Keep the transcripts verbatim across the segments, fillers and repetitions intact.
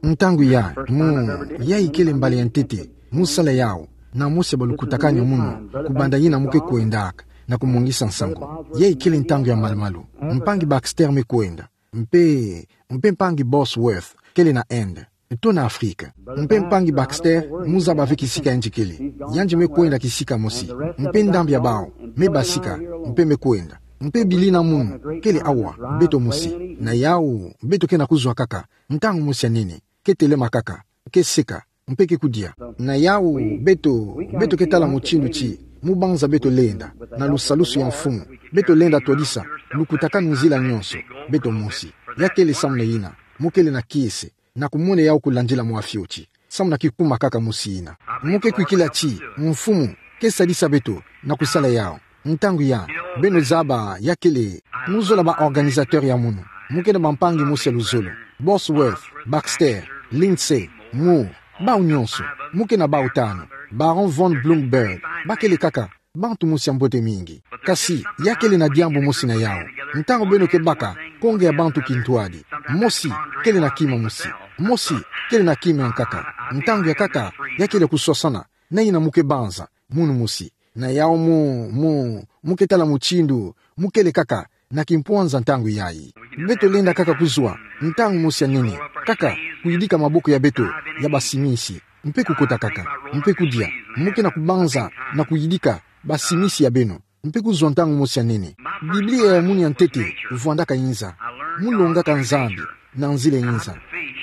Ntangu ya, mu, ya ikele mbala ya ntete mu sala yawu, na mosi ya balukutakanu ya munu, kubanda yina mu ke kwendaka na kumwangisa nsangu. Ya ikele ntangu ya malumalu. Mpangi Baxter me kwenda. Mpe, mpe mpangi Bosworth kele na Inde, to na Afrika. Mpe mpangi Baxter, mu zaba ve kisika yandi kele. Yandi me kwenda kisika mosi. Mpe ndambu ya bawu me basika, mpe me kwenda. Mpe bili na munu kele awa, beto mosi. Na yawu, beto ke na kuzwa kaka ntangu mosi ya nene, ke telema kaka, ke seka, mpe ke kudia. Na yawu, beto, beto ke tala mutindu ti mu banza beto lenda na lusalusu ya mfumu. Beto lenda twadisa lukutakanu nzila nyonso, beto mosi. Ya kele samu na yina mu kele na kiese, na kumona yawu kulandila mwa fioti, samu na kikuma kaka mosi yina. Mu ke kwikila ti mfumu ke sadisa beto na kusala yawu. Ntangu ya, beno zaba, ya kele, mu zola ba organisateur ya munu. Mu ke na bampangi mosi ya luzolo: Bosworth, Baxter, Lindsay, Moore, bawu nyonso. Mu ke na bawu tanu. Baron von Blomberg, ba kele kaka bantu mosi ya mbote mingi. Kasi ya kele na diambu mosi na yawu. Ntangu beno ke baka konge ya bantu kintwadi, mosi kele na kima mosi, mosi kele na kima ya nkaka. Ntangu ya nkaka, ya kele kuswasana na yina mu ke banza, munu mosi. Na yawu mu, mu, mu ke tala mutindu mu kele kaka na kimpwanza ntangu yayi. Beto lenda kaka kuzwa ntangu mosi ya nene, kaka kuyidika maboko ya beto ya basimisi, mpe kukota kaka, mpe kudia. Mu ke na kubanza na kuyidika basimisi ya beno, mpe kuzwa ntangu mosi ya nene. Biblia ya munu ya ntete vwandaka inza. Mu longaka Nzambi na nzila inza.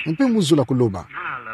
Mpe mu zola kuloba.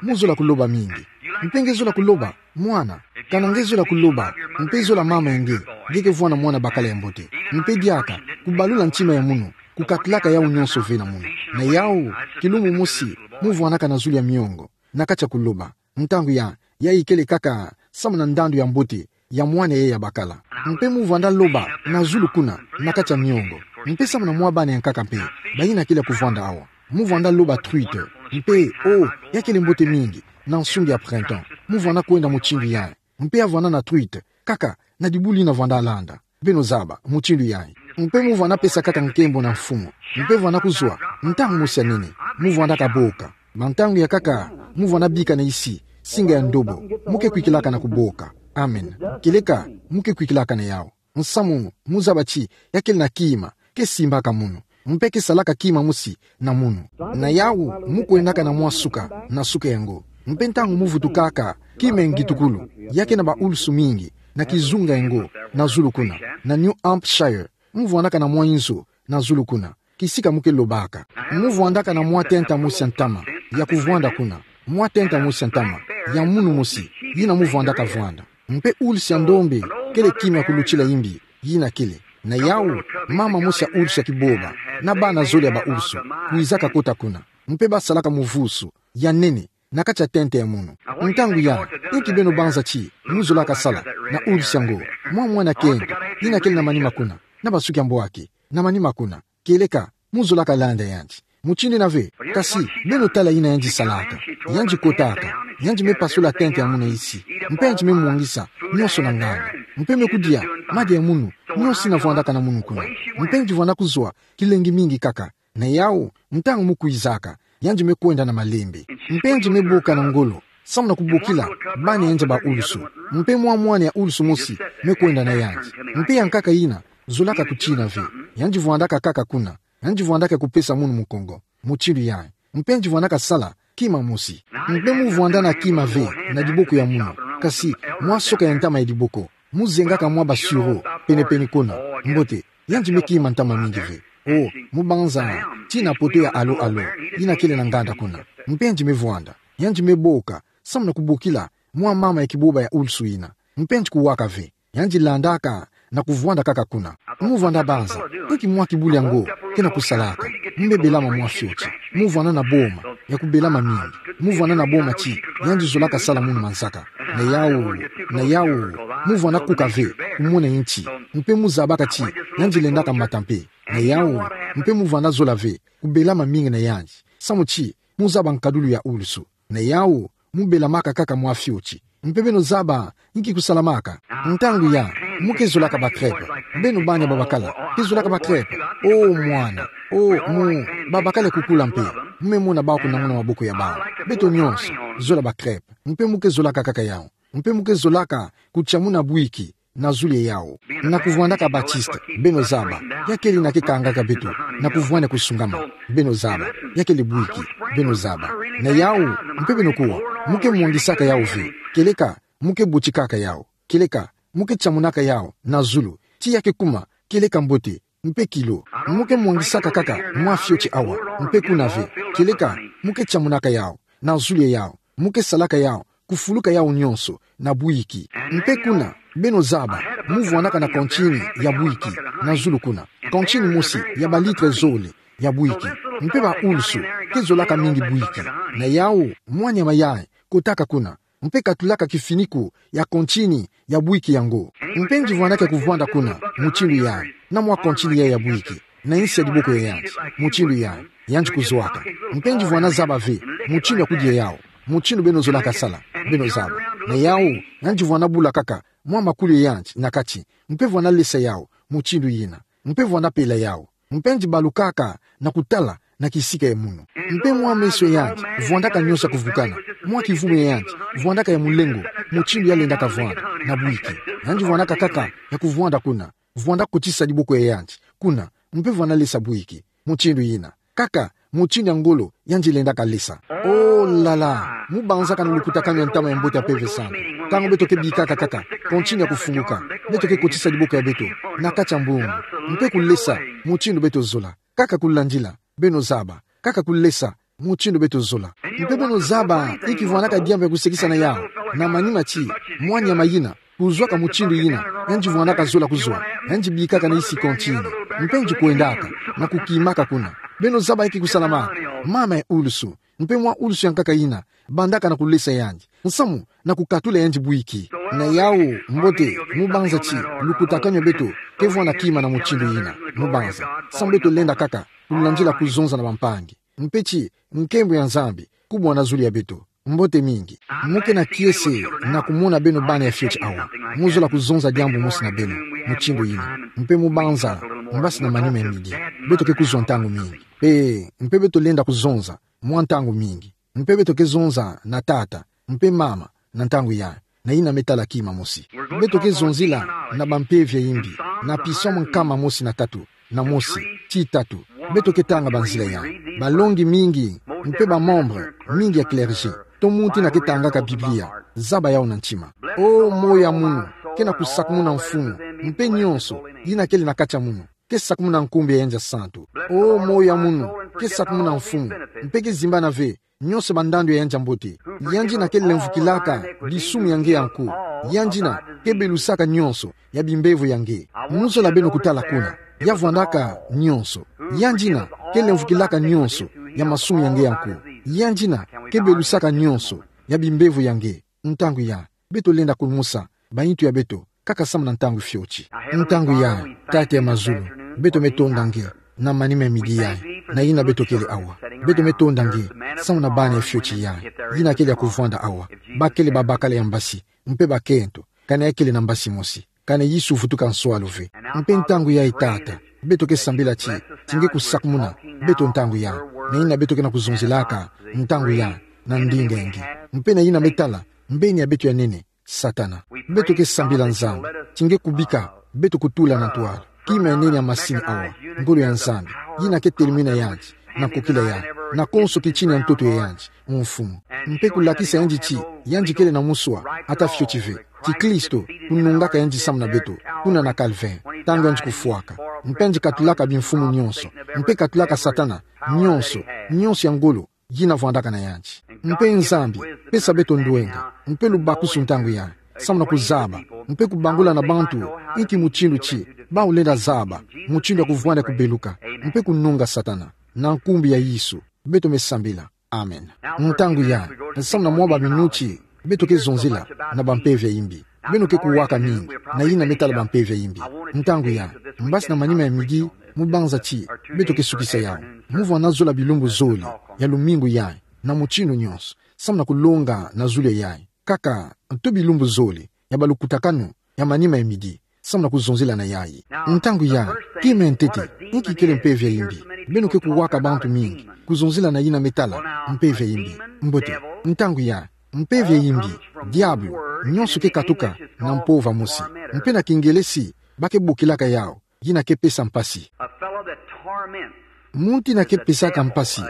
Mu zola kuloba mingi. Mpe nge zola kuloba, mwana. Kana nge zola kuloba, mpe zola mama ya nge, nge ke vwanda mwana bakala ya mbote. Mpe diaka kubalula ntima ya munu, kukatulaka yawu nyonso ve na munu. Na yawu, kilumbu mosi mu vwandaka na zulu ya miongo, na kati ya kuloba. Ntangu ya, ya ikele kaka samu na ndandu ya mbote ya mwana yayi ya bakala. Mpe mu vwanda loba na zulu kuna, na kati ya miongo. Mpe samu na mwa bana ya nkaka mpe, bayina kele kuvwanda awa. Mu vwanda loba truite. Mpe, oh, ya kele mbote mingi na nsungi ya printemps. Mu vwanda kwenda mutindu yayi. Mpe ya vwanda na truite, kaka na dibulu yina vwanda landa. Beno zaba mutindu yayi. Mpe mu vwanda pesa kaka nkembo na mfumu. Mpe vwanda kuzwa ntangu mosi ya nene. Mu vwanda kaboka. Bantangu ya nkaka, mu vwanda bika na isi singa ya ndobo. Mu ke kwikilaka na kuboka. Amen. Kieleka mu ke kwikilaka na yawu. Nsamu, mu zaba ti ya kele na kima ke simbaka munu, mpe ke salaka kima mosi na munu. Na yawu, mu kwendaka na mwa suka, na suka yango. Mpe ntangu mu vutukaka, kima ya ngitukulu, ya ke na baulusu mingi, na kizunga yango na zulu kuna, na New Hampshire. Mu vwandaka na mwa inzo na zulu kuna, kisika mu ke lobaka. Mu vwandaka na mwa tenta mosi ya ntama ya kuvwanda kuna, mwa tenta mosi ya ntama ya munu mosi, yina mu vwandaka vwanda. Mpe ulusu ya ndombe kele kima ya kulutila imbi, yina kele. Na yawu, mama mosi ya ulusu ya kiboba, na bana zole ya baulusu, kwizaka kota kuna. Mpe ba salaka muvusu ya nene na kati ya tenta ya munu. Ntangu ya, inki beno banza ti mu zolaka sala na ulusu yango? Mwa mwana kento, yina kele na manima kuna, na basuki ya mbwaki, na manima kuna. Kieleka mu zolaka landa yandi. Mutindu yina ve. Kasi beno tala yina yandi salaka. Yandi kotaka, yandi me pasula tenta ya munu na isi. Mpe yandi me mwangisa nyonso na nganda. Mpe me kudia madia ya munu nyonso yina vwandaka na munu kuna. Mpe yandi vwanda kuzwa kilengi mingi kaka. Na yawu, ntangu mu kwizaka, yandi me kwenda na malembe. Mpe yandi me boka na ngolo, samu na kubokila bana yandi ya baulusu. Mpe mwa mwana ya ulusu mosi me kwenda na yandi. Mpe ya nkaka yina zolaka kutina ve. Yandi vwandaka kaka kuna. Yandi vwandaka kupesa munu mukongo. Mutindu yayi. Mpe yandi vwandaka sala kima mosi. Mpe mu vwanda na kima ve na diboko ya munu, kasi mwa soka ya ntama ya diboko. Mu zengaka mwa basuro penepene kuna. Mbote, yandi me kima ntama mingi ve. Oh, mu banza ti na poto ya alo-alo yina kele na nganda kuna. Mpe yandi me vwanda. Yandi me boka, samu na kubokila mwa mama ya kiboba ya ulusu yina. Mpe yandi kuwaka ve. Yandi landaka na kuvwanda kaka kuna. Mu vwanda banza, inki mwa kibuli yango ke na kusalaka? Mu me belama mwa fioti. Mu vwanda na boma ya kubelama mingi. Mu vwanda na boma ti yandi zolaka sala munu manzaka. Na yawu, na yawu, mu vwanda kuka ve kumona inti. Mpe mu zabaka ti yandi lendaka mata mpe. Na yawu, mpe mu vwanda zola ve kubelama mingi na yandi. Samu ti mu zaba nkadulu ya ulusu. Na yawu, mu belamaka kaka mwa fioti. Mpe beno zaba inki kusalamaka? Ntangu ya, mu ke zolaka ba crêpes. Beno bana babakala ke zolaka ba crêpes? Oh, mwana. Oh, mu, babakala kukula mpe. Mu me mona bau kunanguna maboko ya bau. Beto nyonso, zola ba crêpes. Mpe mu ke zolaka kaka yau. Mpe mu ke zolaka kutiamuna bwiki na zulu ya yau. Na kuvwandaka Baptiste, beno zaba, ya kele na ke kangaka beto, na kuvwanda kusungama, beno zaba, ya kele bwiki, beno zaba. Na yau, mpe beno kuwa, mu ke mwangisaka yau ve, kieleka, mu ke botikaka yau, kieleka, mu ke tiamunaka yau na zulu, ti ya ke kuma, kieleka mbote, mpe kilo, mu ke mwangisaka kaka mwa fioti awa, mpe kuna ve, kieleka, mu ke tiamunaka yau na zulu ya yau, mu ke salaka yau kufuluka yau nyonso na bwiki. Mpe kuna, beno zaba, mu vwandaka na kantini ya bwiki na zulu kuna, kantini mosi ya ba litre zole ya bwiki. Mpe ba ulusu ke zolaka mingi bwiki. Na yau, mwa nyama yayi kotaka kuna, mpe katulaka kifiniku ya kantini ya bwiki yango. Mpe nzi vwandaka kuvwanda kuna, mutindu yayi, na mwa kantini yayi ya bwiki, na nsi ya diboko ya yandi, mutindu yayi, yandi kuzwaka. Mpe nzi vwanda zaba ve mutindu ya kudia yau, mutindu beno zolaka sala, beno zaba. Na yau, yandi vwanda bula kaka mwa makulu ya yandi na kati, mpe vwanda lesa yau, mutindu yina, mpe vwanda pela yau. Mpe nzi balukaka na kutala na kisika ya munu. Mpe mwa meso ya yandi vwandaka nyonso ya kuvukana, mwa kivumu ya yandi vwandaka ya mulengo, mutindu ya lendaka vwanda na bwiki. Yandi vwandaka kaka ya kuvwanda kuna, vwanda kotisa diboko ya yandi kuna, mpe vwanda lesa bwiki, mutindu yina. Kaka, mutindu ya ngolo yandi lendaka lesa. Oh là là, mu banzaka na lukutakanu ya ntama ya mbote ya Mpeve Santu. Ntangu beto ke bikaka kaka kantini ya kufunguka, beto ke kotisa diboko ya beto na kati ya mbongo, mpe kulesa mutindu beto zola. Kaka kulandila, beno zaba, kaka kulesa mutindu beto zola. Mpe beno zaba, inki vwandaka diambu ya kusekisa na yau, na manima ti mwa nyama yina kuzwaka mutindu yina, yandi vwandaka zola kuzwa, yandi bikaka na isi kantini, mpe nzi kwendaka na kukimaka kuna. Beno zaba inki kusalamaka, mama ya ulusu, mpe mwa ulusu ya nkaka yina bandaka na kulesa yandi, nsamu na kukatula yandi bwiki. Na yau, mbote, mu banza ti lukutakanu ya beto ke vwanda kima na mutindu yina, mu banza, samu beto lenda kaka kulandila kuzonza na bampangi. Mpe ti nkembo ya Nzambi kubwa na zulu ya beto. Mbote mingi. Mu ke na kiese na kumona beno bana ya fioti awa. Mu zola kuzonza diambu mosi na beno, mutindu yina. Mpe mu banza, mbasi na manima ya midi, beto ke kuzwa ntangu mingi. Mpe, mpe beto lenda kuzonza mwa ntangu mingi. Mpe beto ke zonza na tata, mpe mama, na ntangu yayi, na yina me tala kima mosi. Beto ke zonzila na bampeve ya imbi, na Psaume nkama mosi na tatu, na mosi, ti tatu. Beto ke tanga banzila yayi. Balongi mingi, mpe ba membres mingi ya clergé, to muntu yina ke tangaka Biblia, zaba yau na ntima. Oh, moyo ya munu ke na kusakumuna Mfumu, mpe nyonso yina kele na kati ya munu ke sakumuna nkumbu ya yandi ya santu. Oh, moyo ya munu ke sakumuna Mfumu, mpe ke zimbana ve nyonso bandandu ya yandi ya mbote. Yandi yina ke lemvukilaka disumu ya nge ya nko. Yandi yina ke belusaka nyonso ya bimbevo ya nge. Mu zola beno kutala kuna, ya vwandaka nyonso. Yandi yina ke lemvukilaka nyonso ya masumu ya nge ya nko. Yandi yina ke belusaka nyonso ya bimbevo ya nge. Ntangu yayi, beto lenda kumusa bayintu ya beto, kaka samu na ntangu fioti. Ntangu yayi, Tata ya mazulu, beto me tonda nge na manima ya midi yayi, na yina beto kele awa. Beto me tonda nge samu na bana ya fioti yayi, yina kele ya kuvwanda awa. Ba kele babakala ya mbasi, mpe bakento, kana ya kele na mbasi mosi, kana Yesu vutuka nswalu ve. Mpe ntangu yayi, Tata, beto ke sambila ti, ti nge kusakumuna beto ntangu yayi, na yina beto ke na kuzonzelaka ntangu yayi, na ndinga ya nge, mpe na yina me tala mbeni ya beto ya nene, Satana. Beto ke sambila, Nzambi, ti nge kubika beto kutula na ntwala kima ya nene ya masini awa, ngolo ya Nzambi, yina ke telemena yandi, na nkokila yandi, na konso kitini ya ntoto ya yandi, Mfumu. Mpe kulakisa yandi ti yandi kele na muswa ata fioti ve, ti Kristo kunungaka yandi samu na beto kuna na Calvaire, ntangu yandi kufwaka, mpe yandi katulaka bimfumu nyonso, mpe katulaka Satana nyonso, nyonso ya ngolo yina vwandaka na yandi. Mpe Nzambi, pesa beto ndwenga, mpe lubakusu ntangu yayi, samu na kuzaba, mpe kubangula na bantu inki mutindu ti bau lenda zaba mutindu ya kuvwanda kubeluka, mpe kununga Satana. Na nkumbu ya Yesu beto me sambila. Amen. Ntangu yayi, samu na mwa baminuti, beto ke zonzila na bampeve ya imbi. Beno ke kuwaka mingi na yina me tala bampeve ya imbi. Ntangu yayi, mbasi na manima ya midi, mu banza ti beto ke sukisa yau, mu vwanda zola bilumbu zole ya lumingu yayi, na mutindu nyonso, samu na kulonga na zulu yayi, kaka nto bilumbu zole ya balukutakanu ya manima ya midi, samu na kuzonzila na yayi. Ntangu yayi, kima ya ntete, inki kele mpeve ya imbi? Beno ke kuwaka bantu mingi, kuzonzila na yina me tala mpeve ya imbi. Mbote, ntangu ya, mpeve ya imbi, diabulu, nyonso ke katuka na mpova mosi. Mpe na kingele si, ba ke bokilaka yawu, yina ke pesa mpasi. A fellow that torments Muntu yina ke pesaka mpasi,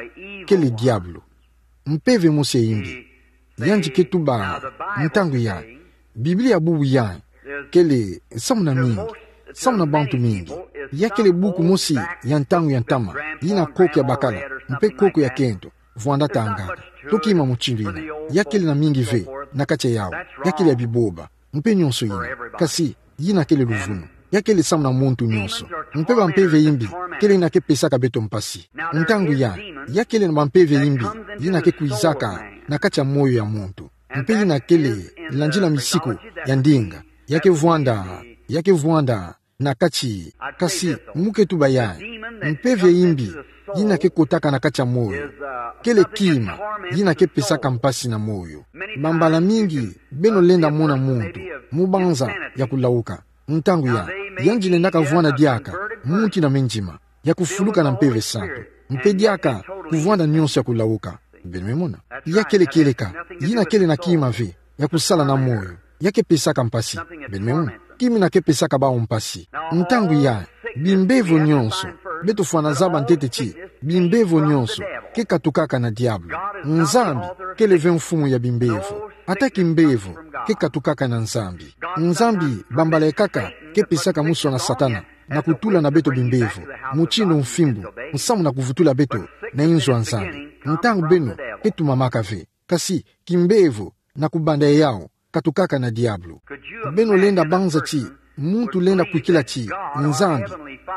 kele diabulu. Mpeve mosi ya imbi. Yandi ke tuba, ntangu ya, Biblia bubu ya, kele, samu na mingi, samu na bantu mingi. Ya kele buku mosi ya ntangu ya ntama, yina koko ya bakala, mpe koko ya kento, vwanda tangaka. Toki ma mutindu yina, ya kele na mingi ve, na kati ya yawu, ya kele ya biboba, mpe nyonso yina. Kasi, yina kele luvunu. Ya kele samu na muntu nyonso. Mpe bampeve ya imbi, kele yina ke pesaka beto mpasi. Ntangu ya, ya kele na bampeve ya imbi, yina ke kwizaka na kati ya moyo ya muntu. Mpe yina kele, landila misiku ya ndinga. Ya ke vwanda, ya ke vwanda na kati, kasi mu ke tuba ya, mpeve ya imbi, yina ke kotaka na kati ya moyo, kele kima, yina ke pesaka mpasi na moyo. Bambala mingi, beno lenda mona muntu, mu banza ya kulawuka. Ntangu ya, yandi lendaka vwanda diaka, muntu yina me ndima, ya kufuluka na Mpeve Santu. Mpe diaka, kuvwanda nyonso ya kulawuka. Beno me mona. Ya kele kieleka, yina kele na kima ve, ya kusala na moyo. Ya ke pesaka mpasi. Beno me mona. Kima yina ke pesaka bawu mpasi. Ntangu ya, bimbevo nyonso, beto fwana zaba ntete ti, bimbevo nyonso, ke katukaka na diabulu. Nzambi, kele ve mfumu ya bimbevo. Ata kimbevo, ke katukaka na Nzambi. Nzambi, bambala ekaka, ke pesaka muswa na Satana, na kutula na beto bimbevo, mutindu mfimbu, musamu na kuvutula beto, na inzo ya Nzambi. Ntangu beno, ke tumamaka ve. Kasi, kimbevo, na kubanda yawu, katukaka na diabulu. Beno lenda banza ti, muntu lenda kwikila ti, Nzambi,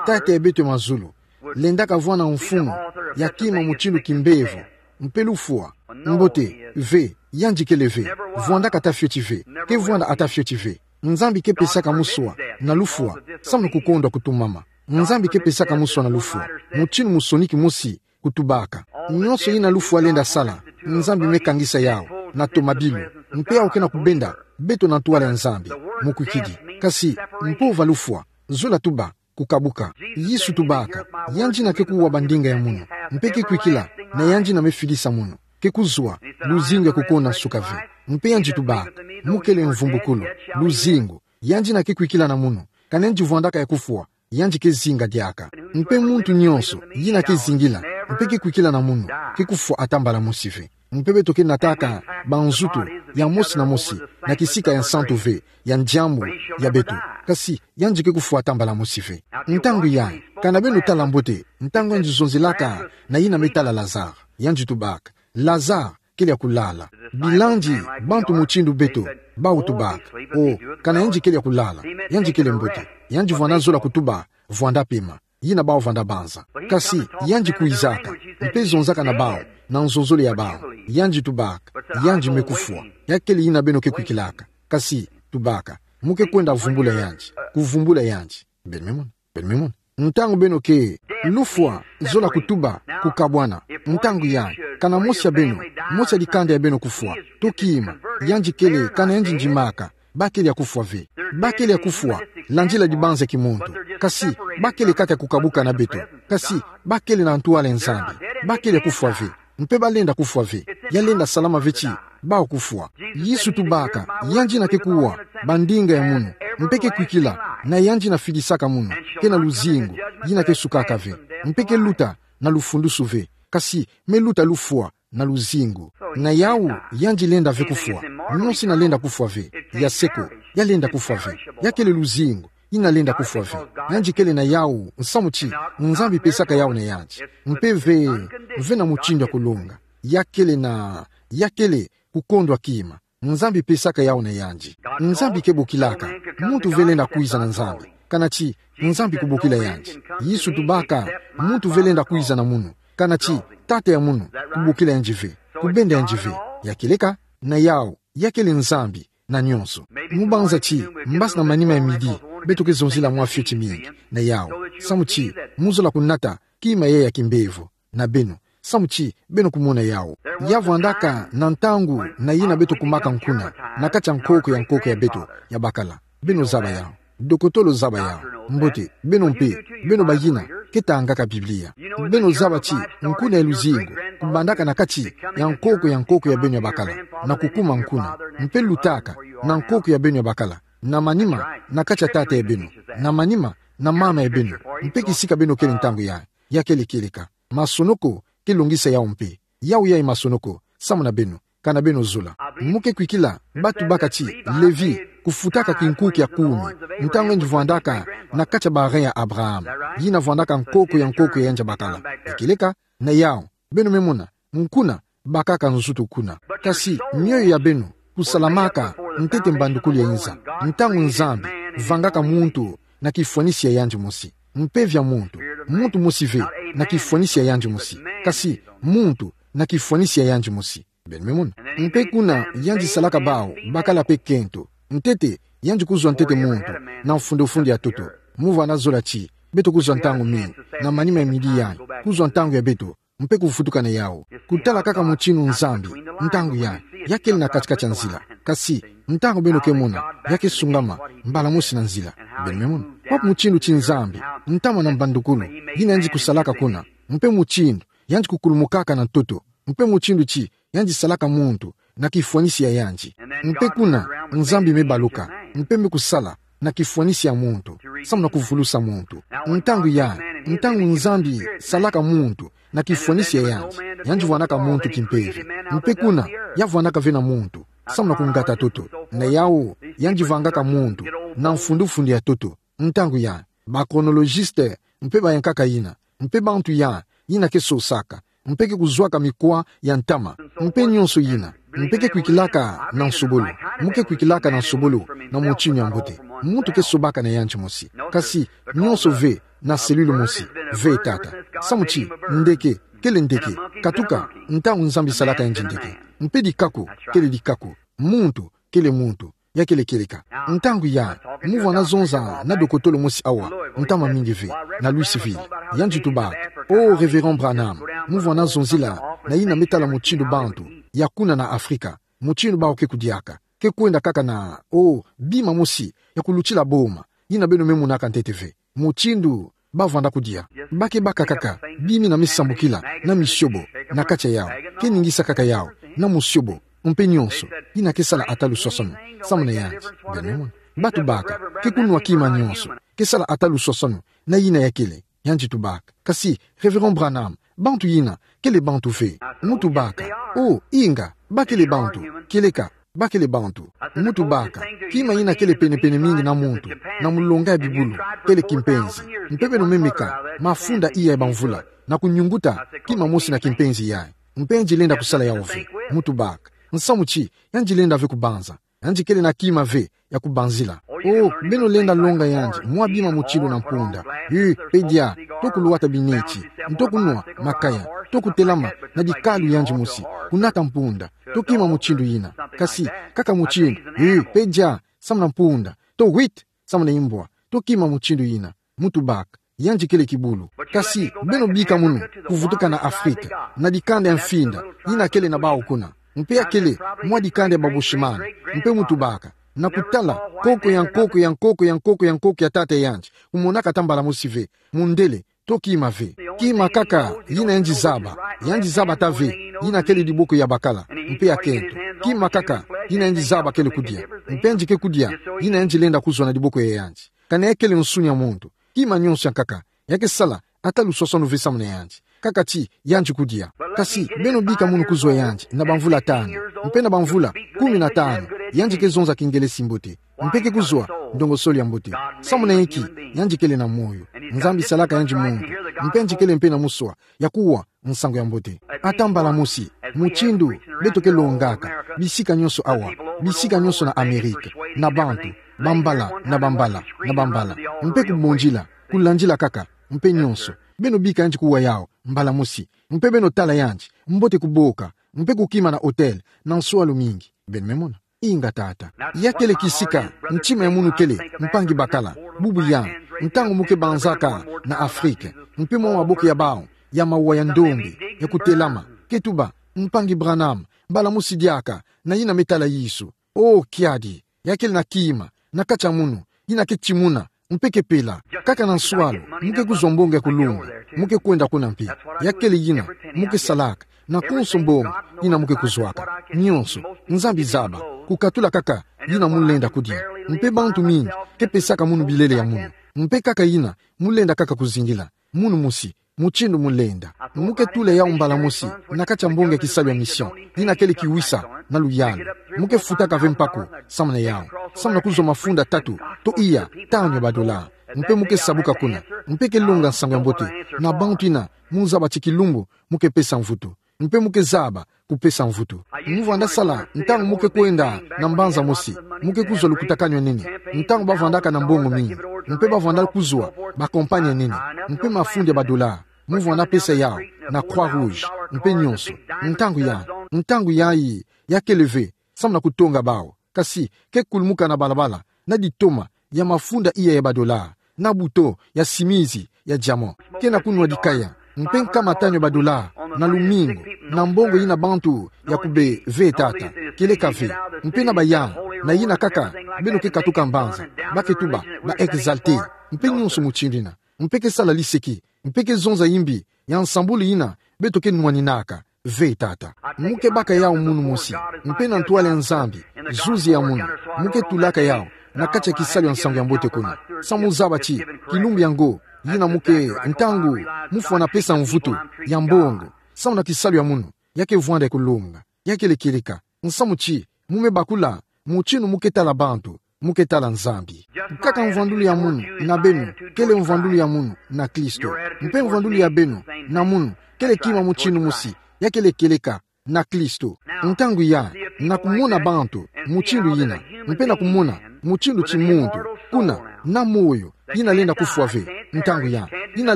Tata ya beto ya mazulu, lendaka vwanda mfumu, ya kima mutindu kimbevo, mpe lufwa, mbote, ve, yandi kele ve, vwandaka ata fioti ve, ke vwanda ata fioti ve. Nzambi ke pesaka muswa, na lufwa, samu kukondwa kutumama. Nzambi ke pesaka muswa na lufwa, mutindu musoniki mosi, kutubaka. Nyonso yina lufwa lenda sala, Nzambi me kangisa yawu, na tomabilu, mpe yawu ke na kubenda, beto na ntwala ya Nzambi, mukwikidi. Kasi, mpova lufwa, zola tuba, kukabuka. Yesu tubaka, yandi yina ke kuwa bandinga ya munu, mpe ke kwikila, na yandi yina me fidisa munu, ke kuzwa, luzingu ya kukonda nsuka ve. Mpe yandi tubaka, mu kele mvumbukulu, luzingu, yandi yina ke kwikila na munu, ka yandi vwandaka ya kufwa, yandi ke zinga diaka. Mpe muntu nyonso, yina ke zingila, mpe ke kwikila na munu, ke kufwa ata mbala mosi ve. Mpe beto ke nataka, banzutu, ya mosi na mosi, na kisika ya nsantu ve, ya diambu, ya beto. Kasi, yandi ke kufwa ata mbala mosi ve. Ntangu ya, kana beno tala mbote, ntangu yandi zonzelaka, na yina me tala Lazare, yandi tubaka, Lazare, kele ya kulala. Bilandi, bantu mutindu beto, bawu tubaka. O, kana yandi kele ya kulala, yandi kele mbote. Yandi vwanda zola kutuba, vwanda pema. Yina bawu vwanda banza. Kasi, yandi kwizaka, mpe zonzaka na bawu, na nzonzolo ya bawu. Yandi tubaka, yandi me kufwa. Ya kele yina beno ke kwikilaka. Kasi, tubaka, mu ke kwenda vumbula yandi, kuvumbula yandi. Beno me mona. Beno me mona. Ntangu beno ke, lufwa, zola kutuba, kukabwana. Ntangu ya, kana mosi ya beno, mosi ya dikanda ya beno kufwa. Toki ima, yandi kele, kana yandi ndimaka, ba kele ya kufwa ve. Ba kele ya kufwa, landila dibanza ya kimuntu. Kasi, ba kele kaka kukabuka na beto. Kasi, ba kele na ntwala ya Nzambi. Ba kele ya kufwa ve. Mpe ba lenda kufwa ve. Ya lenda salama ve ti, bawu kufwa. Yesu tubaka, yandi yina ke kuwa, bandinga ya munu, mpe ke kwikila, na yandi yina fidisaka munu, ke na luzingu, yina ke sukaka ve, mpe ke luta, na lufundusu ve, kasi, me luta lufwa, na luzingu. Na yawu, yandi lenda ve kufwa, nyonso yina lenda kufwa ve, ya seko, ya lenda kufwa ve, ya kele luzingu, yina lenda kufwa ve. Yandi kele na yawu, nsamu ti, Nzambi pesaka yawu na yandi. Mpe ve, ve na mutindu ya kulonga. Ya kele na, ya kele, kukondwa kima. Nzambi pesaka yawu na yandi. Nzambi ke bokilaka, muntu ve lenda kwiza na Nzambi. Kana ti, Nzambi kubokila yandi. Yesu tubaka, muntu ve lenda kwiza na munu. Kana ti, tata ya munu, kubokila yandi ve. Kubenda yandi ve. Ya kieleka, na yawu, ya kele Nzambi, na nyonso. Mu banza ti, mbasi na manima ya midi, beto ke zonzila mwa fioti mingi, na yawu. Samu ti, mu zola kunata, kima ya ya kimbevo, na beno. Samu ti, beno kumona yawu. Ya vwandaka, na ntangu, na yina beto kumaka nkuna, na kati ya nkoko ya nkoko ya beto, ya bakala. Beno zaba yawu. Dokotolo zaba yau. Mbote, beno mpe, beno bayina ke tangaka Biblia, beno zaba ti nkuna ya luzingu kubandaka na kati ya nkoko ya nkoko ya beno ya bakala, na kukuma nkuna, mpe lutaka na nkoko ya beno ya bakala, na manima na kati ya tata ya beno, na manima na mama ya beno, mpe kisika beno kele ntangu ya, ya kele kieleka. Masonoko ke longisa yau mpe. Yau yayi masonoko, samu na beno, kana beno zola. Mu ke kwikila, batu baka ti Levi kufutaka kinkuki ya kumi, ntangu yandi vwandaka na kati ya ba rein ya Abraham, yina vwandaka nkoko ya nkoko ya yandi ya bakala. Kieleka, na yau, beno me mona, nkuna bakaka nzutu kuna. Kasi mioyo ya beno kusalamaka ntete mbandukulu ya inza, ntangu Nzambi vangaka muntu na kifwanisi ya yandi mosi. Mpeve ya muntu, muntu mosi ve, na kifwanisi ya yandi mosi. Kasi muntu na kifwanisi ya yandi mosi. Beno me mona. Mpe kuna yandi salaka bau bakala mpe kento. Ntete, yandi kuzwa ntete muntu na mfundofundo ya ntoto. Mu vwanda zola ti beto kuzwa ntangu mingi, na manima ya midi yayi, kuzwa ntangu ya beto, mpe kuvutuka na yau. Kutala kaka mutindu Nzambi, ntangu yayi, ya kele na katikati ya nzila. Kasi, ntangu beno ke mona, ya ke sungama mbala mosi na nzila. Beno me mona. Kwa mutindu ti Nzambi, ntama na mbandukulu, yina yandi kusalaka kuna, mpe mutindu yandi kukulumukaka na ntoto, mpe mutindu ti yandi salaka muntu na kifwanisi ya yandi. Mpe kuna, Nzambi me baluka, mpe me kusala na kifwanisi ya muntu, samu na kuvulusa muntu. Ntangu yayi, ntangu Nzambi salaka muntu na kifwanisi ya yandi, yandi vwanaka muntu kimpeve. Mpe kuna, ya vwanaka ve na muntu, samu na kungata ntoto. Na yau, yandi vangaka muntu na mfundofundo ya ntoto. Ntangu yayi, ba chronologiste mpe bayankaka yina, mpe bantu yayi, yina ke sosaka, mpe ke kuzwaka mikwa ya ntama, mpe nionso yina, mpe ke kwikilaka na nsobolo, mu ke kwikilaka na nsobolo, na mutindu ya mbote. Muntu ke sobaka na yandi mosi. Kasi, nionso ve na cellule mosi, ve tata. Samu ti, ndeke, kele ndeke, katuka, ntangu Nzambi salaka yandi ndeke. Mpe dikaku, kele dikaku. Muntu, kele muntu. Ya kele kieleka. Ntangu yayi, mu vwanda zonza na dokotolo mosi awa, ntama mingi ve, na Louisville. Yandi tubaka: "Oh, Révérend Branham, mu vwanda zonzila na yina me tala mutindu bantu ya kuna na Afrika, mutindu bau ke kudiaka. Ke kwenda kaka na, oh, bima mosi ya kulutila boma, yina beno me monaka ntete ve. Mutindu ba vwanda kudia. Ba ke baka kaka bima yina me sambukila na misiobo na kati ya yau. Ke ningisa kaka yau na musiobo, mpe nionso. Yina ke sala ata luswaswanu samu na yandi." Beno me mona. Ba tubaka: "Ke kunwa kima nionso. Ke sala ata luswaswanu na yina ya kele." Yandi tubaka: "Kasi, Révérend Branham, bantu yina kele bantu ve." Mu tubaka: "Oh, inga, ba kele bantu. Kieleka, ba kele bantu." Mu tubaka: "Kima yina kele penepene mingi na muntu na mulonga ya bibulu, kele kimpenzi. Mpe beno me meka mafunda iya ya bamvula na kunyunguta kima mosi na kimpenzi yayi. Mpe yandi lenda kusala yau ve." Mu tubaka: "Nsamu ti, yandi lenda ve kubanza. Yandi kele na kima ve ya kubanzila." "Oh, beno lenda longa yandi mwa bima mutindu na mpunda. Yu, pedia, to kulwata bineti, nto kunwa makaya, to kutelama na dikalu yandi mosi, kunata mpunda, to kima mutindu yina. Kasi, kaka mutindu, yu, pedia, samu na mpunda, to wit, samu na imbwa, to kima mutindu yina." Mu tubaka: "Yandi kele kibulu. Kasi beno bika munu kuvutuka na Afrika, na dikanda ya mfinda yina kele na bau kuna. Mpe ya kele mwa dikanda ya ba Bushman." Mpe mu tubaka: "Na kutala nkoko ya nkoko ya nkoko ya nkoko ya nkoko ya tata yandi, kumonaka ata mbala mosi ve mundele, to kima ve. Kima kaka yina yandi zaba, yandi zaba ata ve yina kele diboko ya bakala, mpe ya kento. Kima kaka yina yandi zaba kele kudia. Mpe yandi ke kudia yina yandi lenda kuzwa na diboko ya yandi. Kana ya kele nsuni ya muntu, kima nionso ya nkaka ya ke sala ata luswaswanu ve samu na yandi, kaka ti yandi kudia. Kasi beno bika munu kuzwa yandi na bamvula tanu. Mpe na bamvula kumi na tanu, yandi ke zonza Kingelesi mbote, mpe ke kuzwa ndongosolo ya mbote. Samu na inki? Yandi kele na moyo. Nzambi salaka yandi muntu, mpe yandi kele mpe na muswa ya kuwa nsangu ya mbote. Ata mbala mosi, mutindu beto ke longaka bisika nionso awa, bisika nionso na Amerika, na bantu, bambala, na bambala, na bambala, mpe kumondila, kulandila kaka, mpe nionso. Beno bika yandi kuwa yau mbala mosi, mpe beno tala yandi mbote kuboka, mpe kukima na hotel, na nswalu mingi. Beno me mona. Inga tata. Ya kele kisika ntima ya munu kele, mpangi bakala, bubu yandi, ntangu mu ke banzaka na Afrika, mpe mwa maboko ya bau ya mawa ya ndombe ya kutelama, ke tuba: "Mpangi Branham, mbala mosi diaka, na yina me tala Yesu." Oh, kiadi, ya kele na kima na kati ya munu, ina ke timuna, mpe ke pela, kaka na nswalu, mu ke kuzwa mbongo ya kulunga, mu ke kwenda kuna mpe. Ya kele yina mu ke salaka, na konso mbongo ina mu ke kuzwaka. Nyonso, Nzambi zaba, kukatula kaka yina mu lenda kudia. Mpe bantu mingi ke pesaka munu bilele ya munu. Mpe kaka yina mu lenda kaka kuzingila. Munu mosi, mutindu mu lenda. Mu ke tula yau mbala mosi na kati ya mbongo ya kisalu ya mission, yina kele kiwisa na luyalu. Mu ke futaka ve mpako samu na yau, samu na kuzwa mafunda tatu to iya tanu ya badola. Mpe mu ke sabuka kuna, mpe ke longa Nsangu ya Mbote na bantu ina mu zaba ti kilumbu mu ke pesa mvutu. Mpe mu ke zaba kupesa mvutu. Mu vwanda sala ntangu mu ke kwenda na mbanza mosi, mu ke kuzwa lukutakanu ya nene, ntangu ba vwandaka na mbongo mingi, mpe ba vwanda kuzwa ba compagnie ya nene, mpe mafundi ya badola, mu vwanda pesa yau na Croix Rouge, mpe nyonso. Ntangu ya, ntangu yayi, ya kele ve samu na kutonga bau, kasi ke kulumuka na balabala na ditoma ya mafunda iya ya badola, na buto ya simizi ya diamant, ke na kunwa dikaya, mpe nkama tanu ya badola na lumingu, na mbongo ina bantu ya kube ve tata, kieleka ve. Mpe na baya, na yina kaka beno ke katuka mbanza, ba ke tuba ba exalté, mpe nyonso mutindu ina, mpe ke sala liseki, mpe ke zonza yimbi ya nsambulu ina beto ke nwaninaka. Ve tata. Mu ke baka yau munu mosi, mpe na ntwala ya Nzambi, zuzi ya munu, mu ke tulaka yau na kati ya kisalu ya Nsangu ya Mbote kuna. Samu zaba ti kilumbu yango, yina mu ke, ntangu mu fwana pesa mvutu ya mbongo samu na kisalu ya munu, ya ke vwanda ya kulonga, ya kele kieleka. Nsamu ti mu me bakula, mutindu mu ke tala bantu, mu ke tala Nzambi. Kaka mvwandulu ya munu na beno kele mvwandulu ya munu na Kristo, mpe mvwandulu ya beno na munu kele kima mutindu mosi, ya kele kieleka na Kristo. Ntangu ya, na kumona bantu mutindu yina, mpe na kumona mutindu ti muntu, kuna, na moyo, yina lenda kufwa ve. Ntangu ya, yina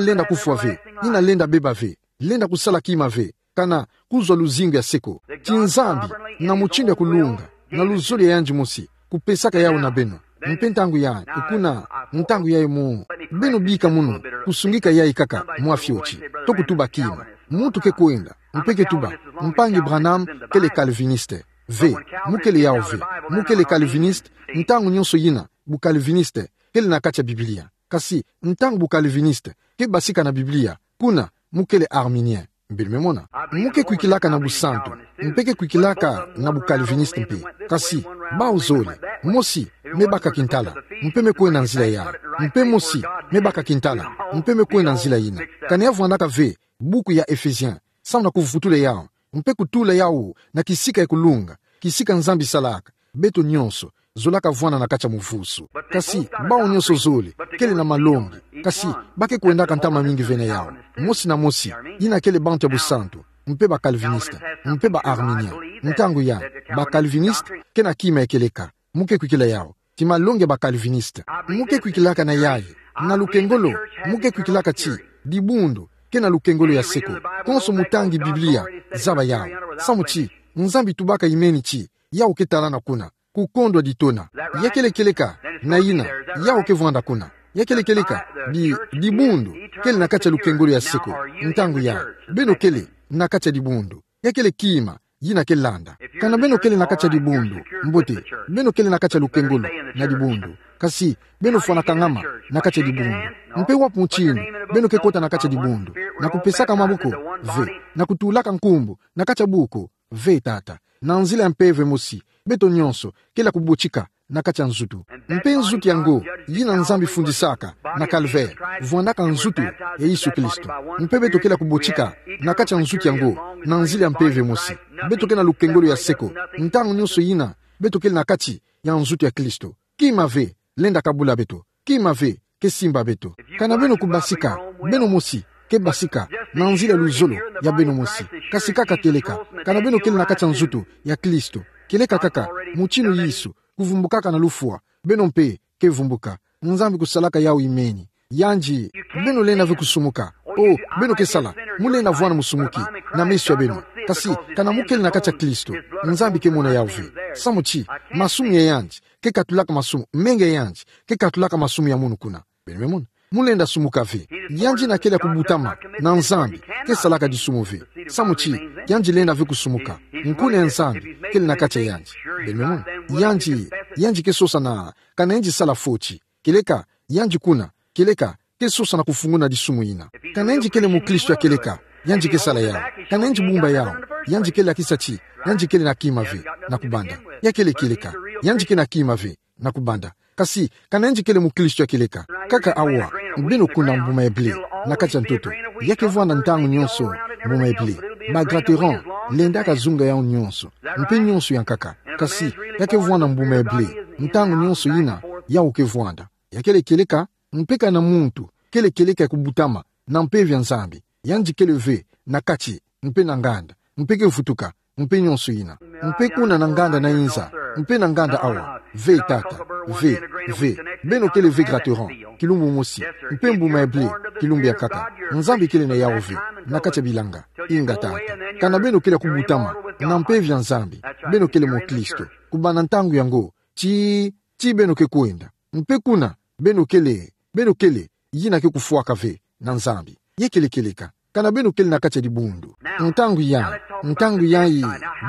lenda kufwa ve, yina lenda beba ve, lenda kusala kima ve, kana kuzwa luzingu ya seko. Ti Nzambi, na mutindu ya kulunga, na luzolo ya yandi mosi, kupesaka yau na beno. Mpe ntangu ya, kuna, ntangu ya emo, beno bika munu kusungika yayi kaka mwa fioti, to kutuba kima. Muntu ke kwenda, mpe ke tuba, Mpangi Branham kele calviniste. Ve, mu kele yau ve. Mu kele calviniste, ntangu nyonso yina bu calviniste kele na kati ya Biblia. Kasi ntangu bu calviniste ke basika na Biblia, kuna mu kele arminien. Beno me mona. Mu ke kwikilaka na busantu, mpe ke kwikilaka na bu calviniste mpe. Kasi bau zole, mosi me baka kintala, mpe me kwenda nzila ya, mpe mosi me baka kintala, mpe me kwenda nzila yina. Kana ya vwandaka ve buku ya Ephésiens samu na kuvutula yau, mpe kutula yau na kisika ya kulunga, kisika Nzambi salaka. Beto nyonso zolaka vwanda na kati ya muvusu. Kasi bau nyonso zole kele na malongi, kasi ba ke kwendaka ntama mingi ve na yau. Mosi na mosi, yina kele bantu ya busantu, mpe ba calviniste, mpe ba arminien. Ntangu ya, ba calviniste ke na kima ya kieleka. Mu ke kwikila yau ti malongi ya ba calviniste. Mu ke kwikilaka na yayi, na lukengolo, mu ke kwikilaka ti dibundu ke na lukengolo ya seko. Konso mutangi Biblia zaba yau. Samu ti Nzambi tubaka imeni ti yau ke talana kuna, kukondwa ditona. Ya kele kieleka na yina yau ke vwanda kuna. Ya kele kieleka di, dibundu kele na kati ya lukengolo ya seko. Ntangu ya, beno kele na kati ya dibundu. Ya kele kima yina ke landa. Kana beno kele na kati ya dibundu, mbote, beno kele na kati ya lukengolo na dibundu. Kasi beno fwana kangama na kati ya dibundu. Mpe wapi mutindu beno ke kota na kati ya dibundu? Na kupesaka maboko? Ve. Na kutulaka nkumbu na kati ya buku? Ve tata. Na nzila ya Mpeve mosi, beto nyonso kele ya kubotika na kati ya nzutu. Mpe nzutu yango, yina Nzambi fundisaka na calvaire, vwandaka nzutu ya Yesu Kristo. Mpe beto kele ya kubotika na kati ya nzutu yango na nzila ya Mpeve mosi. Beto ke na lukengolo ya seko ntangu nyonso yina beto kele na kati ya nzutu ya Kristo. Kima ve lenda kabula beto. Kima ve ke simba beto. Kana beno kubasika, beno mosi ke basika na nzila ya luzolo ya beno mosi. Kasi kaka kieleka, kana beno kele na kati ya nzutu ya Kristo, kieleka kaka mutindu Yesu kuvumbukaka na lufwa, beno mpe ke vumbuka. Nzambi kusalaka yau imeni. Yandi, beno lenda ve kusumuka. O, beno ke sala, mu lenda vwanda musumuki na meso ya beno. Kasi kana mu kele na kati ya Kristo, Nzambi ke mona yau ve. Samu ti masumu ya yandi ke katulaka masumu, menga ya yandi ke katulaka masumu ya munu kuna. Beno me mona. Mu lenda sumuka ve. Yandi yina kele ya kubutama na Nzambi ke salaka disumu ve. Samu ti yandi lenda ve kusumuka. Nkuna ya Nzambi kele na kati ya yandi. Beno me mona. Yandi, yandi ke sosa na, kana yandi sala foti, Kieleka, yandi kuna, kieleka, ke sosa na kufunguna disumu ina. Ka nayandi kele mukristo ya kieleka, yandi ke sala yawu. Ka nayandi bumba yawu, yandi kele akisa ti, yandi kele na kima ve, na kubanda. Ya kele kieleka, yandi ke na kima ve, na kubanda. Kasi, ka nayandi kele mukristo ya kieleka. Kaka awa, beno kuna mbuma ya blé, na kati ya ntoto. Ya ke vwanda ntangu nyonso, mbuma ya blé. Ba Gratterand, lendaka zunga yawu nyonso. Mpe nyonso ya nkaka. Kasi, ya ke vwanda mbuma ya blé, ntangu nyonso ina, yawu ke vwanda. Ya kele kieleka, mpe ka na muntu, kele kieleka ya kubutama, na mpeve ya Nzambi. Yandi kele ve, na kati, mpe na nganda, mpe ke vutuka, mpe nyonso ina. Mpe kuna na nganda na inza, mpe na nganda awa, ve tata, ve, ve, beno kele ve Gratterand, kilumbu mosi, mpe mbuma ya blé, kilumbu ya nkaka. Nzambi kele na yawu ve, na kati ya bilanga, inga tata. Ka na beno kele ya kubutama, na mpeve ya Nzambi, beno kele mukristo, kubanda ntangu yango, ti, ti beno ke kwenda. Mpe kuna, beno kele, beno kele, yina ke kufwaka ve, na Nzambi. Ya kele kieleka. Ka na beno kele na kati ya dibundu. Ntangu yayi, ntangu yayi,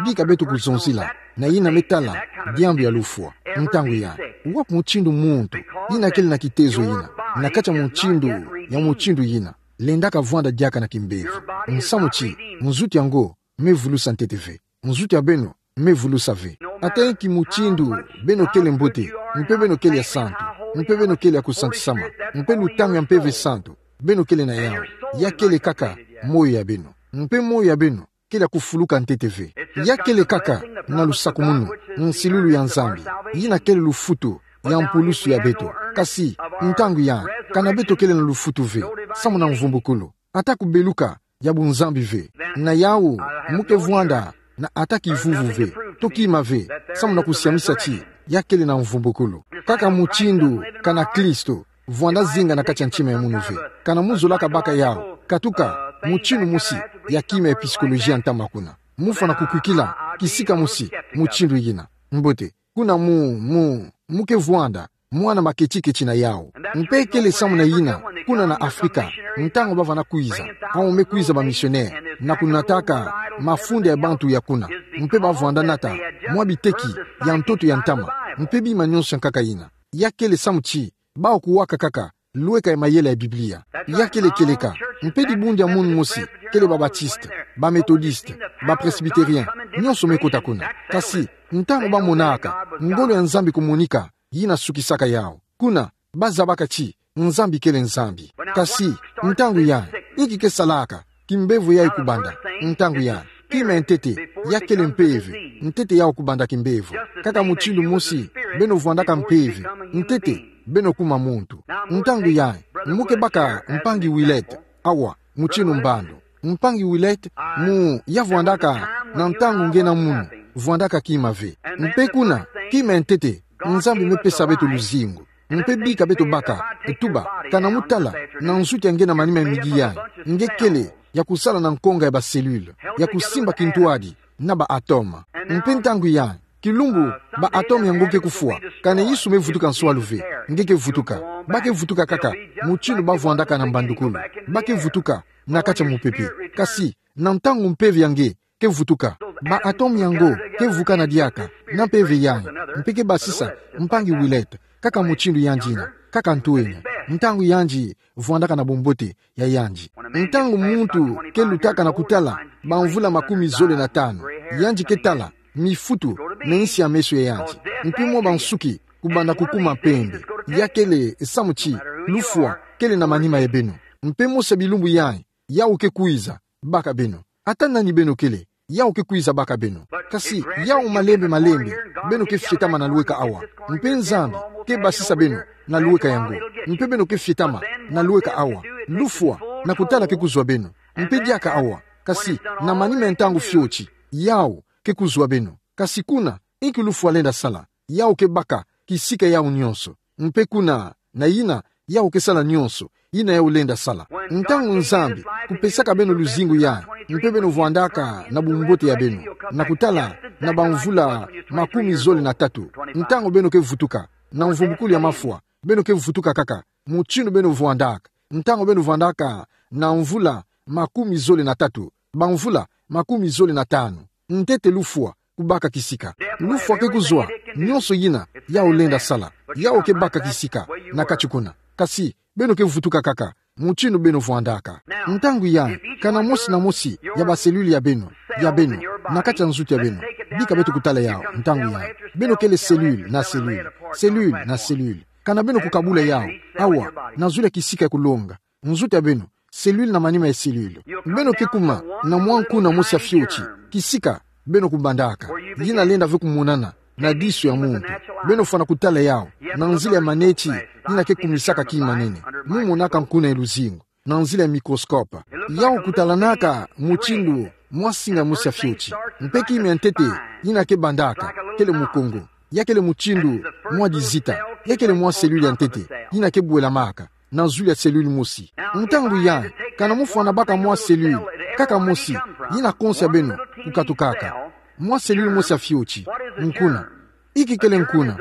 bika beto kuzonzila, na yina me tala, diambu ya lufwa. Ntangu yayi, wapi mutindu muntu, yina kele na kitezo yina, na kati ya mutindu, ya mutindu yina. Lendaka vwanda diaka na kimbevo. Nsamu ti, nzutu yango, me vulusa ntete ve. Nzutu ya beno, me vulusa ve. Ata inki mutindu, beno kele mbote, mpe beno kele ya santu, mpe beno kele ya kusantisama, mpe lutangu ya Mpeve Santu, beno kele na yawu, ya kele kaka, moyo ya beno. Mpe moyo ya beno, kele ya kufuluka ntete ve. Ya kele kaka, na lusakumunu, nsilulu ya Nzambi, yina kele lufutu, ya mpulusu ya beto. Kasi, ntangu yayi, ka na beto kele na lufutu ve, samu na mvumbukulu. Ata kubeluka, ya bunzambi ve. Na yawu, mu ke vwanda, na ata kivuvu ve, to kima ve, samu na kusiamisa ti, ya kele na mvumbukulu. Kaka mutindu, ka na Kristo, vwanda zinga na kati ya ntima ya munu ve. Ka na mu zolaka baka yawu, katuka, mutindu mosi, ya kima ya psikoloji ya ntama kuna. Mu fwana kukwikila, kisika mosi, mutindu yina. Mbote, kuna mu, mu, mu ke vwanda, mwana maketiketi na yawu. Mpe kele samu na yina, kuna na Afrika, ntangu bavana kwiza, awu me kwiza bamisionere, na kunataka, mafunda ya bantu ya kuna, mpe bavwanda nata, mwa biteki, ya ntoto ya ntama, mpe bima nyonso ya nkaka yina. Ya kele samu ti, bawu kuwaka kaka, lweka ya mayela ya Biblia. Ya kele kieleka, mpe dibundu ya munu mosi, kele ba Baptiste, ba Methodiste, ba Presbytérien, nyonso me kota kuna. Kasi, ntangu bamonaka, ngolo ya Nzambi kumonika, yina sukisaka yawu. Kuna, bazabaka ti, Nzambi kele Nzambi. Kasi, ntangu yayi, inki ke salaka, kimbevo yayi kubanda, ntangu yayi, kima ya ntete, ya kele mpeve, ntete yawu kubanda kimbevo. Kaka mutindu mosi, beno vwandaka mpeve, ntete, beno kuma muntu. Ntangu yayi, mu ke baka mpangi Willett, awa, mutindu mbandu. Mpangi Willett, mu, ya vwandaka, na ntangu nge na munu, vwandaka kima ve. Mpe kuna, kima ya ntete, Nzambi me pesa beto luzingu. Mpe bika beto baka, tuba, ka na mu tala, na nsuki ya nge na manima ya midi yayi, nge kele, ya kusala na nkonga ya ba cellule, ya kusimba kintwadi, na ba atome. Mpe ntangu yayi, kilumbu, ba atome yango ke kufwa, ka na Yesu me vutuka nswalu ve, nge ke vutuka, ba ke vutuka kaka, mutindu bavwandaka na mbandukulu, ba ke vutuka, na kati ya mupepe, kasi, na ntangu mpeve ya nge, ke vutuka. Ba atome yango, ke vukana diaka, na mpeve yayi, mpe ke basisa, mpangi Willett, kaka mutindu yandi yina, kaka ntwenya, ntangu yandi, vwandaka na bumbote, ya yandi. Ntangu muntu, ke lutaka na kutala, ba mvula makumi zole na tanu, yandi ke tala, mifutu, na insi ya meso ya yandi. Mpe mwa ba nsuki, kubanda kukuma mpembe, ya kele, samu ti, lufwa, kele na manima ya beno. Mpe mosi ya bilumbu yayi, yawu ke kwiza, baka beno. Ata nani beno kele, yawu ke kwiza baka beno. Kasi, yawu malembe malembe, beno ke fietama na lweka awa. Mpe Nzambi, ke basisa beno, na lweka yango. Mpe beno ke fietama, na lweka awa. Lufwa, na kutala ke kuzwa beno. Mpe diaka awa. Kasi, na manima ya ntangu fioti, yawu, ke kuzwa beno. Kasi kuna, inki lufwa lenda sala, yawu ke baka, kisika yawu nyonso. Mpe kuna, na yina, yawu ke sala nyonso, yina yawu lenda sala. Ntangu Nzambi, kupesaka beno luzingu yayi, mpe beno vwandaka na bumbote ya beno, na kutala, na ba mvula makumi zole na tatu, ntangu beno ke vutuka, na mvumbukulu ya mafwa, beno ke vutuka kaka, mutindu beno vwandaka, ntangu beno vwandaka, na mvula makumi zole na tatu, ba mvula makumi zole na tanu, ntete lufwa, kubaka kisika. Lufwa ke kuzwa, nyonso yina yau lenda sala, yau ke baka kisika na kati kuna. Kasi, beno ke vutuka kaka mutindu beno vwandaka. Ntangu ya, kana mosi na mosi ya ba cellule ya beno, ya beno, na kati ya nzutu ya beno, bika beto kutala yau, ntangu ya, beno kele cellule na cellule, cellule na cellule. Kana beno kukabula yau, awa, na zulu ya kisika ya kulonga, nzutu ya beno, cellule na manima ya cellule. Beno ke kuma na mwa nkuna mosi ya fioti, kisika beno kubandaka, yina lenda ve kumonana na diso ya muntu. Beno fwana kutala yau na nzila ya maneti yina ke kumisaka kima nene. Mu monaka nkuna ya luzingu na nzila ya microscope. Yau kutalanaka mutindu mwa singa mosi ya fioti. Mpe kima ya ntete yina ke bandaka, kele mukongo. Ya kele mutindu mwa dizita. Ya kele mwa cellule ya ntete yina ke bwelamaka na zulu ya cellule mosi. Ntangu ya, kana mu fwana baka mwa cellule kaka mosi, yina konso ya beno kukatukaka. Mwa cellule mosi ya fioti. Nkuna. Inki kele nkuna?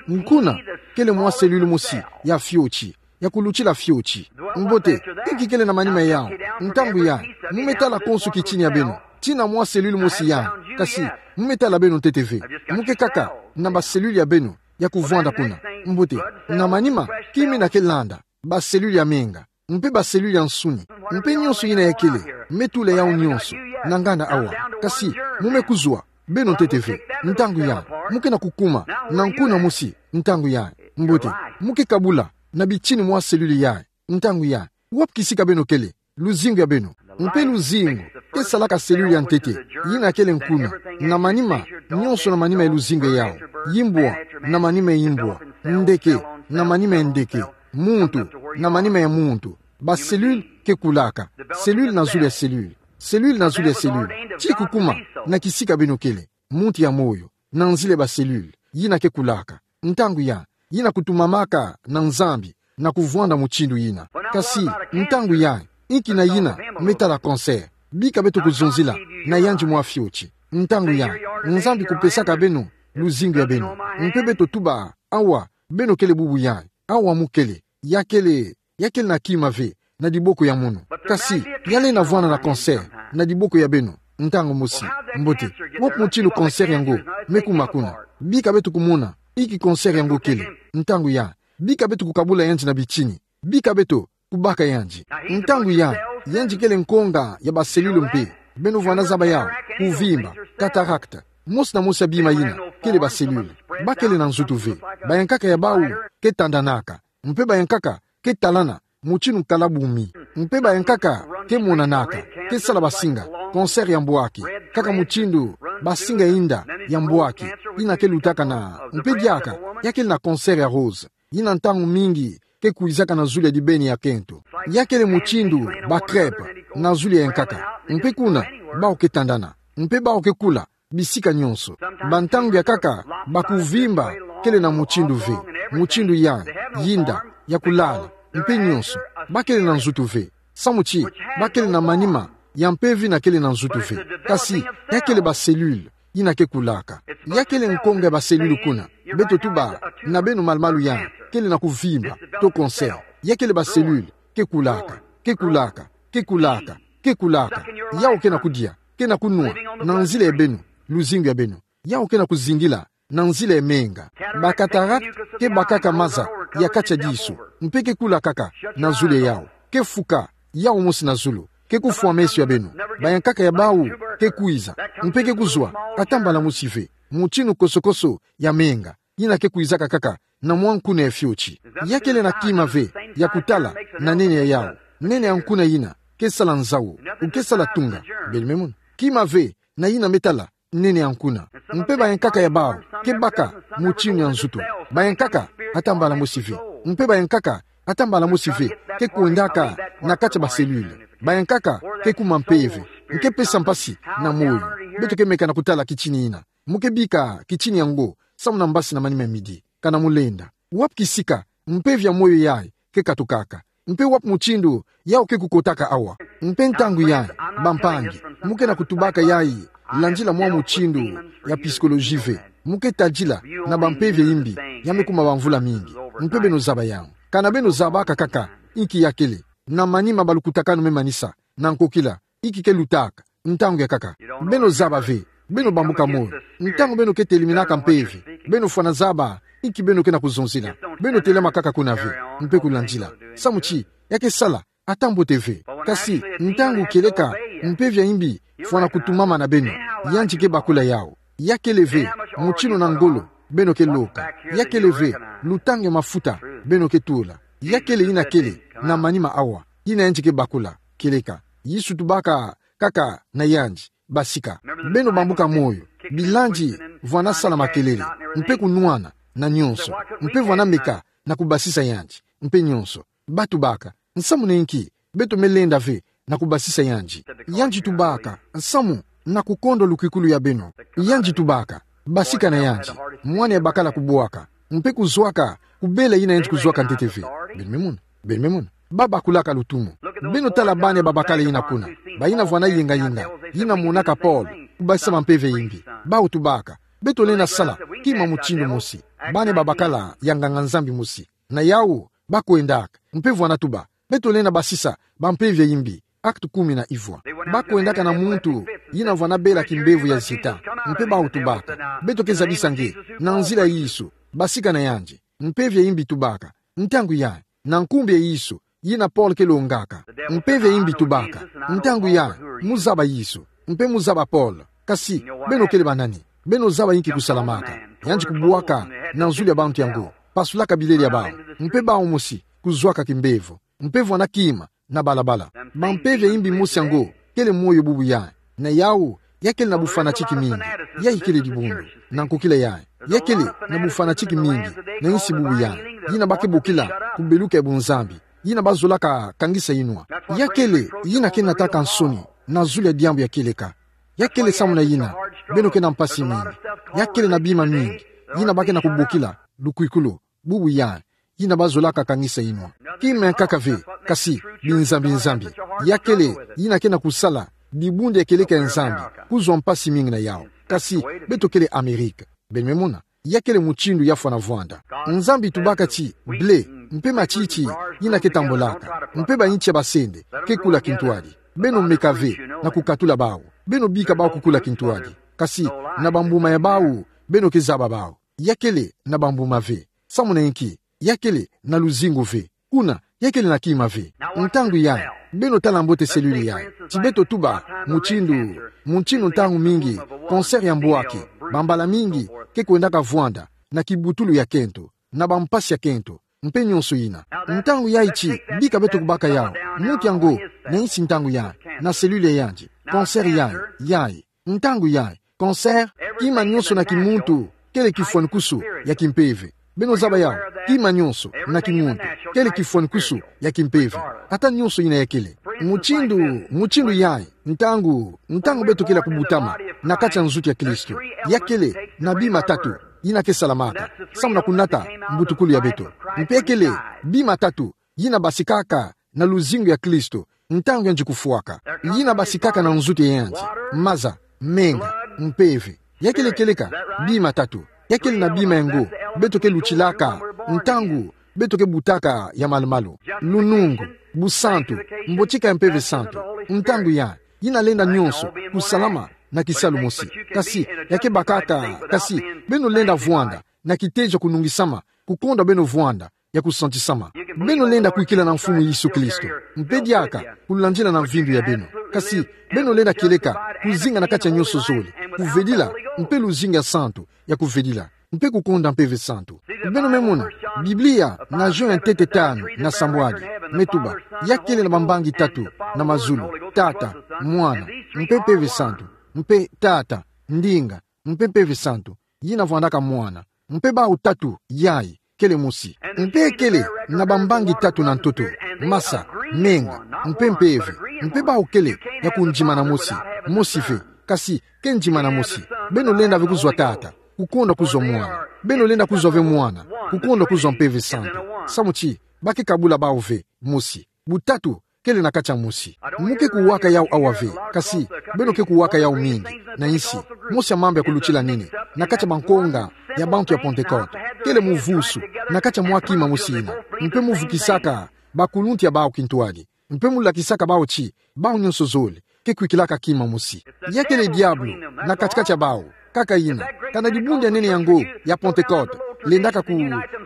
Nkuna kele mwa cellule mosi ya fioti, ya kulutila fioti. Mbote, inki kele na manima yau? Ntangu ya, mu me tala konso kitini ya beno, tina mwa cellule mosi ya, kasi, mu me tala beno ntete ve. Mu ke kaka na ba cellule ya beno ya kuvwanda kuna. Mbote, na manima, kima yina ke landa, ba cellule ya menga, mpe ba cellule ya nsuni, mpe nyonso yina ya kele, me tula yau nyonso na nganda awa. Kasi, mu me kuzwa beno ntete ve. Ntangu ya, mu ke na kukuma na nkuna mosi. Ntangu ya, mbote, mu ke kabula na bitini mwa cellule ya. Ntangu ya, wapi kisika beno kele? Luzingu ya beno. Mpe luzingu ke salaka cellule ya ntete, yina kele nkuna, na manima, nyonso na manima ya luzingu ya yau. Yimbwa na manima ya yimbwa, ndeke na manima ya ndeke, muntu na manima ya muntu. Ba cellule ke kulaka, cellule na zulu ya cellule, cellule na zulu ya cellule, ti kukuma na kisika beno kele, muntu ya moyo, na nzila ya ba cellule yina ke kulaka. Ntangu ya, yina kutumamaka na Nzambi na kuvwanda mutindu yina. Kasi, ntangu ya, inki na yina me tala cancer? Bika beto kuzonzila na yandi mwa fioti. Ntangu ya, Nzambi kupesaka beno luzingu ya beno. Mpe beto tuba, awa, beno kele bubu ya, awa mu kele, ya kele, ya kele na kima ve na diboko ya mono. Kasi, ya lenda vwanda na cancer na diboko ya beno ntangu mosi. Mbote, wapi mutindu cancer yango me kuma kuna? Bika beto kumona inki cancer yango kele. Ntangu ya, bika beto kukabula yandi na bitini. Bika beto kubaka yandi. Ntangu ya, yandi kele nkonga ya ba cellule mpe. Beno vwanda zaba yau, kuvimba, cataracte, mosi na mosi ya bima yina kele ba cellule. Ba kele na nzutu ve. Bayankaka ya bau ke tandanaka. Mpe bayankaka ke talana mutindu nkala bumi. Mpe bayankaka ke monanaka, ke sala basinga, cancer ya mbwaki, kaka mutindu basinga ya inda ya mbwaki yina ke lutaka na. Mpe diaka, ya kele na cancer ya rose, yina ntangu mingi ke kwizaka na zulu ya dibeni ya kento. Ya kele mutindu ba crêpe na zulu ya yankaka. Mpe kuna, bau ke tandana. Mpe bau ke kula bisika nyonso. Bantangu ya nkaka, bakuvimba kele na mutindu ve, mutindu ya, yinda, ya kulala, mpe nyonso, ba kele na nzutu ve. Samu ti, ba kele na manima ya mpeve yina kele na nzutu ve. Kasi, ya kele ba cellule yina ke kulaka. Ya kele nkonga ya ba cellule kuna. Beto tuba na beno malumalu ya kele na kuvimba, to cancer. Ya kele ba cellule ke kulaka, ke kulaka, ke kulaka, ke kulaka. Yau ke na kudia, ke na kunwa na nzila ya beno, luzingu ya beno. Yau ke na kuzingila na nzila ya menga. Ba cataracte ke bakaka maza ya kati ya diso, mpe ke kula kaka na zulu ya yau, ke fuka yau mosi na zulu, ke kufwa meso ya beno. Bayankaka ya bau ke kwiza, mpe ke kuzwa ata mbala mosi ve. Mutindu kosokoso ya menga yina ke kwizaka kaka na mwa nkuna ya fioti. Ya kele na kima ve ya kutala na nene ya yau. Nene ya nkuna yina ke sala nzau, ou ke sala tunga. Beno me mona. Kima ve na yina me tala nene ya nkuna. Mpe bayankaka ya bau ke baka mutindu ya nzutu. Bayankaka ata mbala mosi ve. Mpe bayankaka ata mbala mosi ve ke kwendaka na kati ya ba cellule. Bayankaka ke kuma mpeve, nke pesa mpasi na moyo. Beto ke meka na kutala kitini yina. Mu ke bika kitini yango samu na mbasi na manima ya midi. Kana mu lenda, wapi kisika mpeve ya moyo yayi ke katukaka? Mpe wapi mutindu yau ke kukotaka awa? Mpe ntangu yayi, bampangi, mu ke na kutubaka yayi landila mwa mutindu ya psychologie ve. Mu ke tadila na bampeve ya imbi ya me kuma bamvula mingi. Mpe beno zaba yau. Kana beno zabaka kaka inki ya kele, na manima balukutakanu me manisa, na nkokila, inki ke lutaka ntangu ya nkaka. Beno zaba ve Beno bambuka moyo. Ntangu beno ke teliminaka mpeve, beno fwana zaba inki beno ke na kuzonzila. Beno telama kaka kuna ve, mpe kulandila. Samu ti, ya ke sala, ata mbote ve. Kasi, ntangu kieleka mpeve ya imbi fwana kutumama na beno, yandi ke bakula yawu. Ya kele ve mutindu na ngolo beno ke loka. Ya kele ve lutangu ya mafuta beno ke tula. Ya kele yina kele na manima awa, yina yandi ke bakula. Kieleka Yesu tubaka kaka na yandi: Basika. Beno bambuka moyo. Bilandi vwana sala makelele, mpe kunwana, na nionso, mpe vwana meka na kubasisa yandi, mpe nionso. Ba tubaka: Nsamu na inki beto me lenda ve na kubasisa yandi? Yandi tubaka: Nsamu na kukondwa lukwikulu ya beno. Yandi tubaka: Basika na yandi, mwana ya bakala kubwaka, mpe kuzwaka kubela yina yandi kuzwaka ntete ve. Beno me mona? Beno me mona? Ba bakulaka lutumu. Beno tala bana babakala yina kuna, bayina vwana yenga-yenga, yina monaka pole kubasisa bampeve ya imbi. Bawu tubaka: Beto lenda sala kima mutindu mosi. Bana babakala ya nganga-Nzambi mosi. Na yawu, ba kwendaka, mpe vwana tuba: Beto lenda basisa bampeve ya imbi. Actes kumi na ivwa. Ba kwendaka na muntu yina vwana bela kimbevo ya zita, mpe bawu tubaka: Beto ke zabisa nge na nzila ya Yesu. Basika na yandi. Mpeve ya imbi tubaka: Ntangu yayi, na nkumbu ya Yesu, yina pole ke longaka. Mpeve ya imbi tubaka: Ntangu yayi, mu zaba Yesu, mpe mu zaba pole. Kasi, beno kele banani? Beno zaba inki kusalamaka? Yandi kubwaka na zulu ya bantu yango, pasulaka bilele ya bawu, mpe bawu mosi kuzwaka kimbevo, mpe vwana kima na balabala. Bampeve ya imbi mosi yango kele moyo bubu yayi. Na yawu, ya kele na bufanatique mingi. Yayi kele dibundu. Na nkokila yayi, ya kele na bufanatique mingi na insi bubu yayi, yina ba ke bokila kubeluka ya bunzambi, yina ba zolaka kangisa inwa. Ya kele yina ke nataka nsoni na zulu ya diambu ya kieleka. Ya kele samu na yina beno ke na mpasi mingi. Ya kele na bima mingi yina ba ke na kubokila lukwikulu bubu yayi, yina ba zolaka kangisa inwa. Kima ya nkaka ve, kasi binzambi-nzambi. Ya kele yina ke na kusala dibundu ya kieleka ya Nzambi kuzwa mpasi mingi na yawu. Kasi, beto kele Amerika. Beno me mona? Ya kele mutindu ya fwana vwanda. Nzambi tubaka ti blé mpe matiti yina ke tambolaka, mpe bainti ya basende ke kula kintwadi. Beno meka ve na kukatula bawu. Beno bika bawu kukula kintwadi. Kasi, na bambuma ya bawu beno ke zaba bawu. Ya kele na bambuma ve. Samu na inki? Ya kele na luzingu ve. Kuna, ya kele na kima ve. Ntangu yayi, beno tala mbote cellule yayi. Ti beto tuba mutindu, mutindu ntangu mingi cancer ya mbwaki, bambala mingi, ke kwendaka vwanda na kibutulu ya kento, na bampasi ya kento, mpe nionso yina. Ntangu yayi ti bika beto kubaka yawu, muntu yango, na insi ntangu yayi, na cellule ya yandi, cancer yayi, yayi. Ntangu yayi, cancer, kima nionso na kimuntu kele kifwanikusu ya kimpeve. Beno zaba yawu? Kima nionso na kimuntu kele kifwanikusu ya kimpeve. Ata nionso yina ya kele. Mutindu, mutindu yayi, ntangu, ntangu beto kele ya kubutama na kati ya nzutu ya Kristo, ya kele na bima tatu yina ke salamaka samu na kunata mbutukulu ya beto. Mpe kele bima tatu yina basikaka na luzingu ya Kristo ntangu yandi kufwaka. Yina basikaka na nzutu ya yandi: maza, menga, mpeve. Ya kele kieleka bima tatu. Ya kele na bima yango beto ke lutilaka ntangu beto ke butaka ya malu-malu. Lunungu, busantu, mbotika ya Mpeve Santu. Ntangu yayi, yina lenda nionso kusalama na kisalu mosi. Kasi, ya ke bakaka, kasi, beno lenda vwanda na kitezo ya kunungisama, kukondwa beno vwanda ya kusantisama. Beno lenda kwikila na Mfumu Yesu Kristo, mpe diaka kulandila na mvindu ya beno. Kasi, beno lenda kieleka kuzinga na kati ya nionso zole, kuvedila, mpe luzingu ya santu ya kuvedila, mpe kukonda Mpeve Santu. Beno me mona, Biblia, na Jean ntete tanu na sambwadi, me tuba: Ya kele na bambangi tatu na mazulu: Tata, Mwana, mpe Mpeve Santu. Mpe Tata, ndinga, mpe Mpeve Santu, yina vwandaka Mwana. Mpe bawu tatu yayi kele mosi. Mpe kele na bambangi tatu na ntoto: masa, menga, mpe mpeve. Mpe bawu kele ya kundimana mosi, mosi ve. Kasi, ke ndimana mosi. Beno lenda ve kuzwa Tata, kukondwa kuzwa Mwana. Beno lenda kuzwa ve Mwana, kukondwa kuzwa Mpeve Santu. Samu ti ba ke kabula bawu ve, mosi. Butatu kele na kati ya mosi. Mu ke kuwaka yawu awa ve, kasi beno ke kuwaka yawu mingi na insi. Mosi ya mambu ya kulutila nini na kati ya bankonga ya bantu ya Pentecote, kele muvusu na kati ya mwa kima mosi yina, mpe muvukisaka bakuluntu ya bawu kintwadi, mpe mulakisaka bawu ti bawu nionso zole ke kwikilaka kima mosi. Ya kele diabolo na kati-kati ya bawu. Kaka yina, kana dibundu ya nene yango ya Pentecote lendaka ku,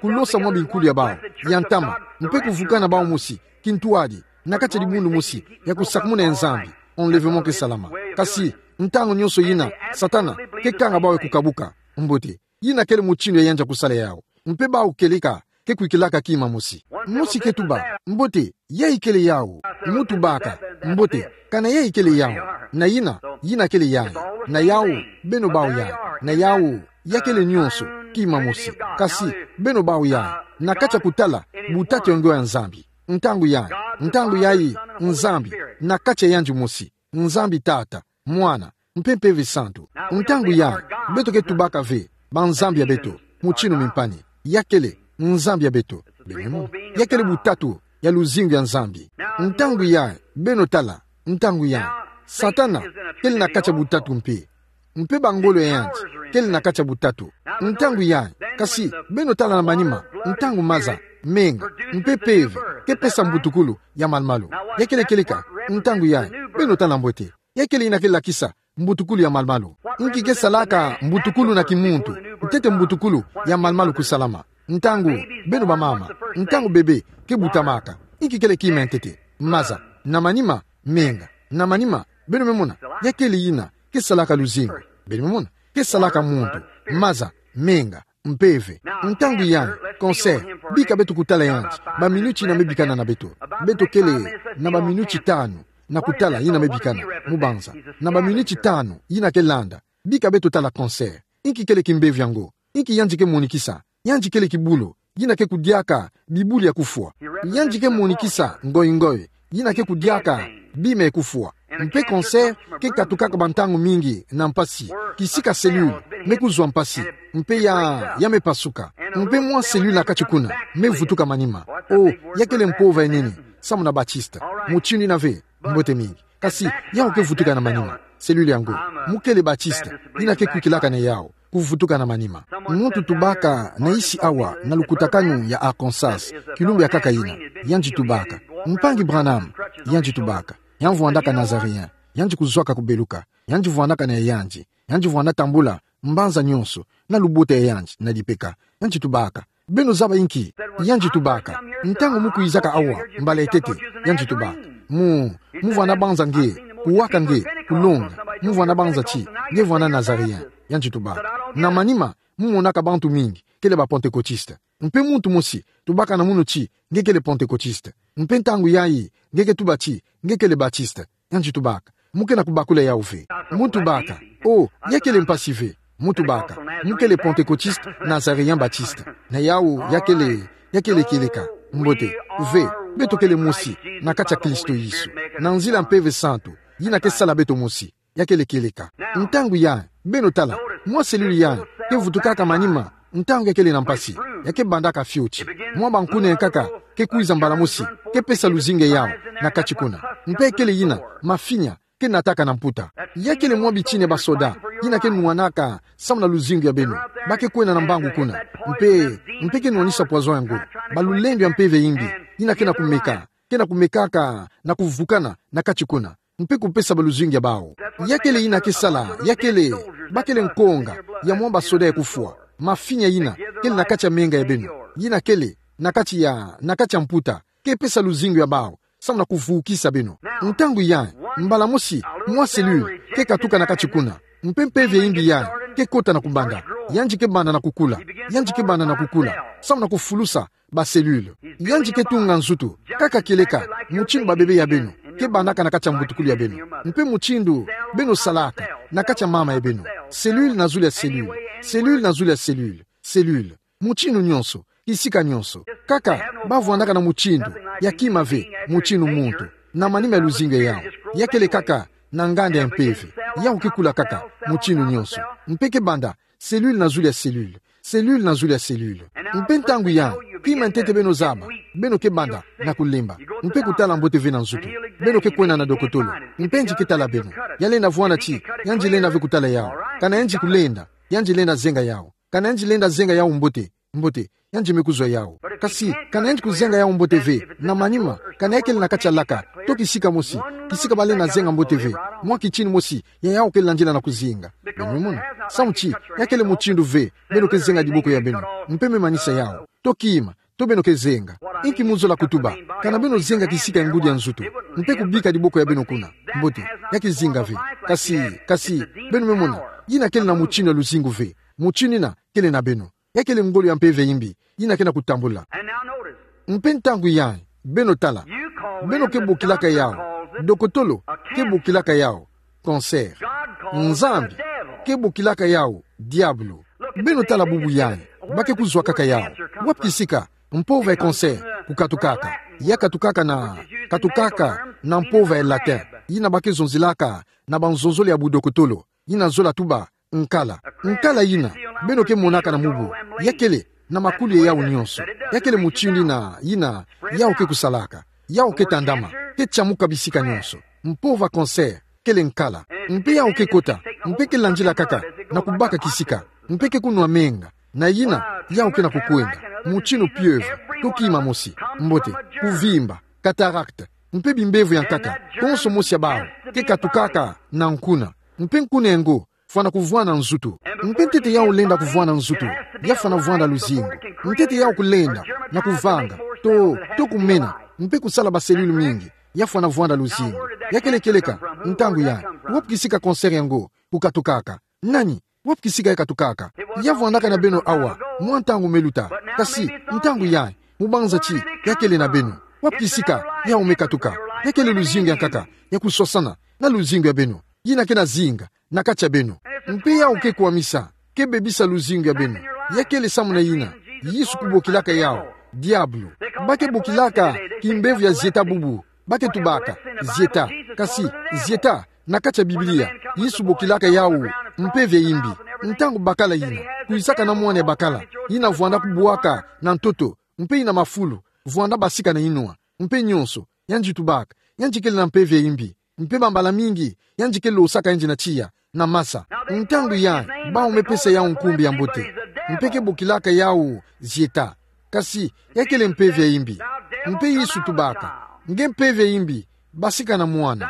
kulosa mwa binkulu ya bawu ya ntama, mpe kuvukana bawu mosi kintuadi na kati ya dibundu mosi ya kusakumuna ya Nzambi, enlèvement ke salama. Kasi ntangu nyonso yina, Satana ke kanga bawu ya kukabuka. Mbote, yina kele mutindu ya yandi ya kusala yawu. Mpe bawu kieleka ke kwikilaka kima mosi. Mosi ke tuba, mbote, ya ikele yawu? Mu tubaka, mbote, kana ya ikele yawu? Na yina, yina kele yayi. Na yawu, beno bawu yayi. Na yawu, ya kele nyonso kima mosi. Kasi beno bawu yayi na kati ya kutala butatu ya ngoi ya Nzambi. Ntangu yayi, ntangu yayi, Nzambi na kati ya yandi mosi. Nzambi Tata, Mwana, mpe Mpeve Santu. Ntangu yayi, beto ke tubaka ve banzambi ya beto, mutindu mimpani. Ya kele nzambi ya beto. Beno mona? Ya kele butatu ya luzingu ya Nzambi. Ntangu yayi, beno tala, ntangu yayi, Satana kele na kati ya butatu mpe. Mpe bangolo ya yandi kele na kati ya butatu. Ntangu yayi, kasi beno tala na manima, ntangu maza, menga, mpe mpeve ke pesa mbutukulu ya malu-malu. Ya kele kieleka, ntangu yayi, beno tala mbote. Ya kele yina ke lakisa mbutukulu ya malu-malu? Inki ke salaka mbutukulu na kimuntu, ntete mbutukulu ya malu-malu kusalama? Ntangu, beno bamama, ntangu bebe ke butamaka, inki kele kima ya ntete? Maza. Na manima, menga. Na manima, beno me mona, ya kele yina ke salaka luzingu. Beno me mona, ke salaka muntu. Maza, menga, mpeve. Ntangu yayi, cancer, bika beto kutala yandi, baminiti yina me bikana na beto. Beto kele na baminiti tanu na kutala yina me bikana, mu banza. Na baminiti tanu yina ke landa, bika beto tala cancer. Inki kele kimbevo yango? Inki yandi ke monikisa? Yandi kele kibulu yina ke kudiaka bibulu ya kufwa. Yandi ke monikisa ngoi-ngoi yina ke kudiaka bima ya kufwa. Mpe cancer ke katukaka bantangu mingi na mpasi, kisika cellule me kuzwa mpasi, mpe ya, ya me pasuka. Mpe mwa cellule na kati kuna me vutuka manima. O, ya kele mpova ya nene, samu na baptiste. Mutindu yina ve, mbote mingi. Kasi yawu ke vutuka na manima. Cellule yango, mu kele baptiste yina ke kwikilaka na yawu, kuvutuka na manima. Muntu tubaka na isi awa na lukutakanu ya Arkansas, kilumbu ya nkaka yina, yandi tubaka: Mpangi Branham, yandi tubaka, ya mvwandaka Nazaréen, yandi kuzwaka kubeluka, yandi vwandaka na yandi, yandi vwanda tambula mbanza nyonso, na lubota ya yandi na dipeka. Yandi tubaka: Beno zaba inki? Yandi tubaka: Ntangu mu kwizaka awa mbala ya ntete, yandi tubaka, mu, mu vwanda banza nge, kuwaka nge, kulonga, mu vwanda banza ti nge vwanda Nazaréen. Yandi tubaka: Na manima, mu monaka bantu mingi kele ba Pentecôtiste. Mpe muntu mosi tubaka na munu ti nge kele Pentecôtiste. Mpe ntangu yayi, nge ke tuba ti nge kele baptiste. Yandi tubaka: Mu ke na kubakula yawu ve? Mu tubaka: O, ya kele mpasi ve. Mu tubaka: Mu kele Pentecôtiste Nazaréen baptiste. Na yawu ya kele, ya kele kieleka. Mbote, ve, beto kele mosi na kati ya Kristo Yesu, na nzila Mpeve Santu yina ke sala beto mosi. Ya kele kieleka. Ntangu yayi, beno tala, mwa cellule yayi ke vutukaka manima ntangu ya kele na mpasi, ya ke bandaka fioti. Mwa bankuna ya nkaka ke kwiza mbala mosi, ke pesa luzingu ya yawu na kati kuna. Mpe kele yina mafinya ke nataka na mputa. Ya kele mwa bitini ya basoda yina ke nwanaka samu na luzingu ya beno. Ba ke kwenda na mbangu kuna, mpe, mpe ke nwanisa poison yango. Balulendo ya mpeve ya imbi yina ke na kumeka, ke na kumekaka na kuvukana na kati kuna, mpe kupesa bâ luzingu ya bawu. Ya kele yina ke sala, ya kele, ba kele nkonga ya mwa basoda ya kufwa. Mafinya yina kele na kati ya menga ya beno, yina kele na kati ya, na kati ya mputa, ke pesa luzingu ya bawu samu na kuvukisa beno. Ntangu yayi, mbala mosi, mwa cellule ke katuka na kati kuna, mpe mpeve ya imbi yayi ke kota na kubanda. Yandi ke banda na kukula, yandi ke banda na kukula samu na kufulusa ba cellule. Yandi ke tunga nzutu, nkaka kieleka mutindu babebe ya beno ke bandaka na kati ya mbutukulu ya beno, mpe mutindu beno salaka na kati ya mama ya beno. Cellule na zulu ya cellule, cellule na zulu ya cellule, cellule. Mutindu nyonso, kisika nyonso. Nkaka ba vwandaka na mutindu ya kima ve, mutindu muntu, na manima ya luzingu ya yawu. Ya kele nkaka na nganda ya mpeve. Yawu ke kula nkaka mutindu nyonso, mpe ke banda cellule na zulu ya cellule, cellule na zulu ya cellule. Mpe ntangu yayi, kima ya ntete beno zaba, beno ke banda na kulemba, mpe kutala mbote ve na nzutu. Beno ke kwenda na dokotolo, mpe yandi ke tala beno. Ya lenda vwanda ti yandi lenda ve kutala yawu. Kana yandi kulenda, yandi lenda zenga yawu. Kana yandi lenda zenga yawu mbote, Mbote, yandi me kuzwa yawu. Kasi, kana yandi kuzenga yawu mbote ve, na manima, kana ya kele na kati ya laka, to kisika mosi, kisika balenda zenga mbote ve, mwa kitini mosi, ya yawu kele na nzila na kuzinga. Beno me mona, samu ti, ya kele mutindu ve, beno ke zenga diboko ya beno, mpe me manisa yawu. To kima, to beno ke zenga. Inki mu zola kutuba, kana beno zenga kisika ya ngudi ya nzutu, mpe kubika diboko ya beno kuna. Mbote, ya ke zinga ve. Kasi, kasi, beno me mona, yina kele na mutindu ya luzingu ve. Mutindu yina, kele na beno. Ya kele ngolo ya mpeve ya imbi, yina ke na kutambula. Mpe ntangu yayi, beno tala. Beno ke bokilaka yawu, dokotolo, ke bokilaka yawu, cancer. Nzambi, ke bokilaka yawu, diabulu. Beno tala bubu yayi, ba ke kuzwakaka yawu. Wapi kisika, mpova ya cancer, kukatukaka. Ya katukaka na, katukaka na mpova ya latin, yina ba ke zonzilaka, na banzonzolo ya budokotolo, yina zola tuba, nkala. Nkala yina, beno ke monaka na mubu. Ya kele, na makuli ya yawu nionso. Ya kele mutindu yina, yina, yawu ke kusalaka. Yawu ke tandama, ke tiamuka bisika nionso. Mpova cancer, kele nkala. Mpe yawu ke kota, mpe ke landila kaka, na kubaka kisika. Mpe ke kunwa menga, na yina, yawu ke na kukwenda. Mutindu pieuvre, to kima mosi. Mbote, kuvimba, cataracte. Mpe bimbevo ya nkaka, konso mosi ya bawu, ke katukaka, na nkuna. Mpe nkuna yango, fwana kuvwanda nzutu. Mpe ntete yawu lenda kuvwanda nzutu, ya fwana vwanda luzingu. Ntete yawu kulenda, na kuvanga, to, to kumena, mpe kusala ba cellule mingi, ya fwana vwanda luzingu. Ya kele kieleka, ntangu yayi, wapi kisika cancer yango, kukatukaka. Nani, wapi kisika ya katukaka. Ya vwandaka na beno awa, mwa ntangu me luta. Kasi, ntangu yayi, mu banza ti, ya kele na beno. Wapi kisika, yawu me katuka. Ya kele luzingu ya nkaka, ya kuswasana, na luzingu ya beno. Yina ke na zinga, na kati ya beno. Mpe yawu ke kwamisa, ke bebisa luzingu ya beno. Ya kele samu na yina, Yesu kubokilaka yawu, diabulu. Ba ke bokilaka, kimbevo ya zieta bubu. Ba ke tubaka, zieta. Kasi, zieta, na kati ya Biblia, Yesu bokilaka yawu, mpeve ya imbi. Ntangu bakala yina, kwisaka na mwana ya bakala, yina vwanda kubwaka, na ntoto, mpe yina mafulu, vwanda basika na inwa, mpe nionso, yandi tubaka, yandi kele na mpeve ya imbi, mpe bambala mingi, yandi ke losaka yandi na tiya, na masa. Ntangu yayi, bawu me pesa yawu nkumbu ya mbote. Mpe ke bokilaka yawu, zieta. Kasi, ya kele mpeve ya imbi. Mpe Yesu tubaka, nge mpeve ya imbi, basika na mwana.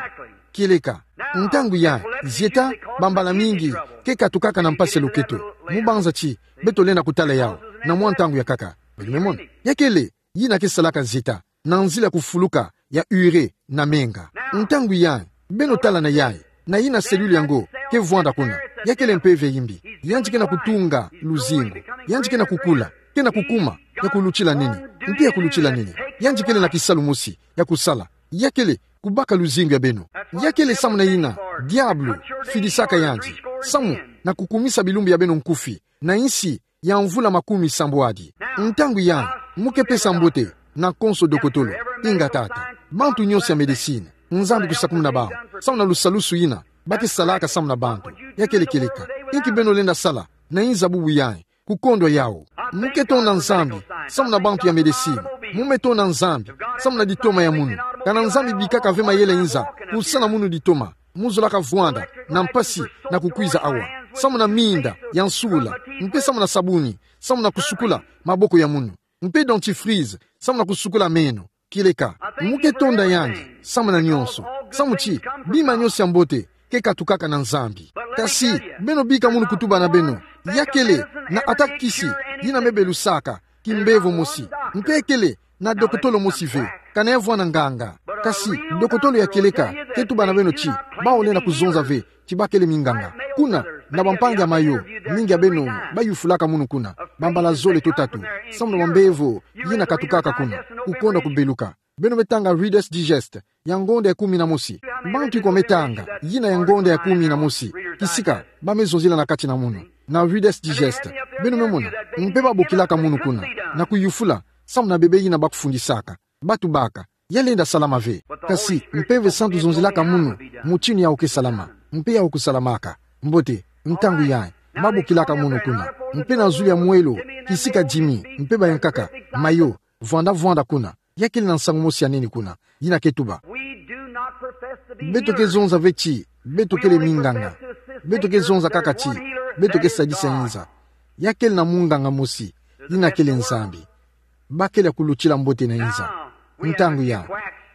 Kieleka. Ntangu yayi, zieta, bambala mingi, ke katukaka na mpasi ya loketo. Mu banza ti, beto lenda kutala yawu, na mwa ntangu ya nkaka. Beno me mona. Ya kele, yina ke salaka zieta, na nzila kufuluka, ya urée, na menga. Ntangu yayi, beno tala na yayi, na yina cellule yango, ke vwanda kuna, ya kele mpeve ya imbi, yandi ke na kutunga, luzingu, yandi ke na kukula, ke na kukuma, ya kulutila nene, mpe ya kulutila nene, yandi kele na kisalu mosi, ya kusala, ya kele, kubaka luzingu ya beno. Ya kele samu na yina, diabulu, fidisaka yandi, samu, na kukumisa bilumbu ya beno nkufi, na insi, ya mvula makumi sambwadi. Ntangu yayi, mu ke pesa mbote, na konso dokotolo, inga tata. Bantu nionso ya médecine, Nzambi kusakumuna bawu, samu na lusalusu yina, ba ke salaka samu na bantu, ya kele kieleka. Inki beno lenda sala, na inza bubu yayi, kukondwa yawu. Mu ke tonda Nzambi, samu na bantu ya médecine, mu me tonda Nzambi, samu na ditoma ya munu. Kana Nzambi bikaka ve mayele inza, kusana munu ditoma, mu zolaka vwanda, na mpasi, na kukwiza awa. Samu na minda, ya nsula, mpe samu na sabuni, samu na kusukula, maboko ya munu. Mpe dentifrice, samu na kusukula meno, kieleka. Mu ke tonda yandi, samu na nionso. Samu ti, bima nionso ya mbote, ke katukaka na Nzambi. Kasi, beno bika munu kutuba na beno. Ya kele, na ata kisi, yina me belusaka, kimbevo mosi. Mpe kele, na dokotolo mosi ve, kana ya vwanda nganga. Kasi, dokotolo ya kieleka, ke tuba na beno ti, bawu lenda kuzonza ve, ti ba kele minganga. Kuna, na bampangi ya Mayo, mingi ya beno, bayufulaka munu kuna, bambala zole to tatu, samu na bambevo, yina katukaka kuna, kukonda kubeluka. Beno me tanga Reader's Digest, ya ngonda ya kumi na mosi. Bantu ikwa me tanga, yina ya ngonda ya kumi na mosi. Kisika, ba me zonzila na kati na munu. Na Reader's Digest. Beno me mona, mpe ba bokilaka munu kuna. Na kuyufula, samu na bebe yina ba kufundisaka. Ba tubaka, ya lenda salama ve. Kasi, mpeve santu zonzilaka munu, mutinu yawu ke salama. Mpe yawu kusalamaka. Mbote, ntangu yayi, ba bokilaka munu kuna. Mpe na zulu ya mwelo, kisika Jimmy, mpe bayankaka, Mayo, vwanda vwanda kuna. Ya kele na nsangu mosi ya nene kuna, yina ke tuba. Beto ke zonza ve ti, beto kele minganga. Beto ke zonza kaka ti, beto ke sadisa inza. Ya kele na munganga mosi, ina kele Nzambi. Bakele ya kulutila mbote na inza. Ntangu ya,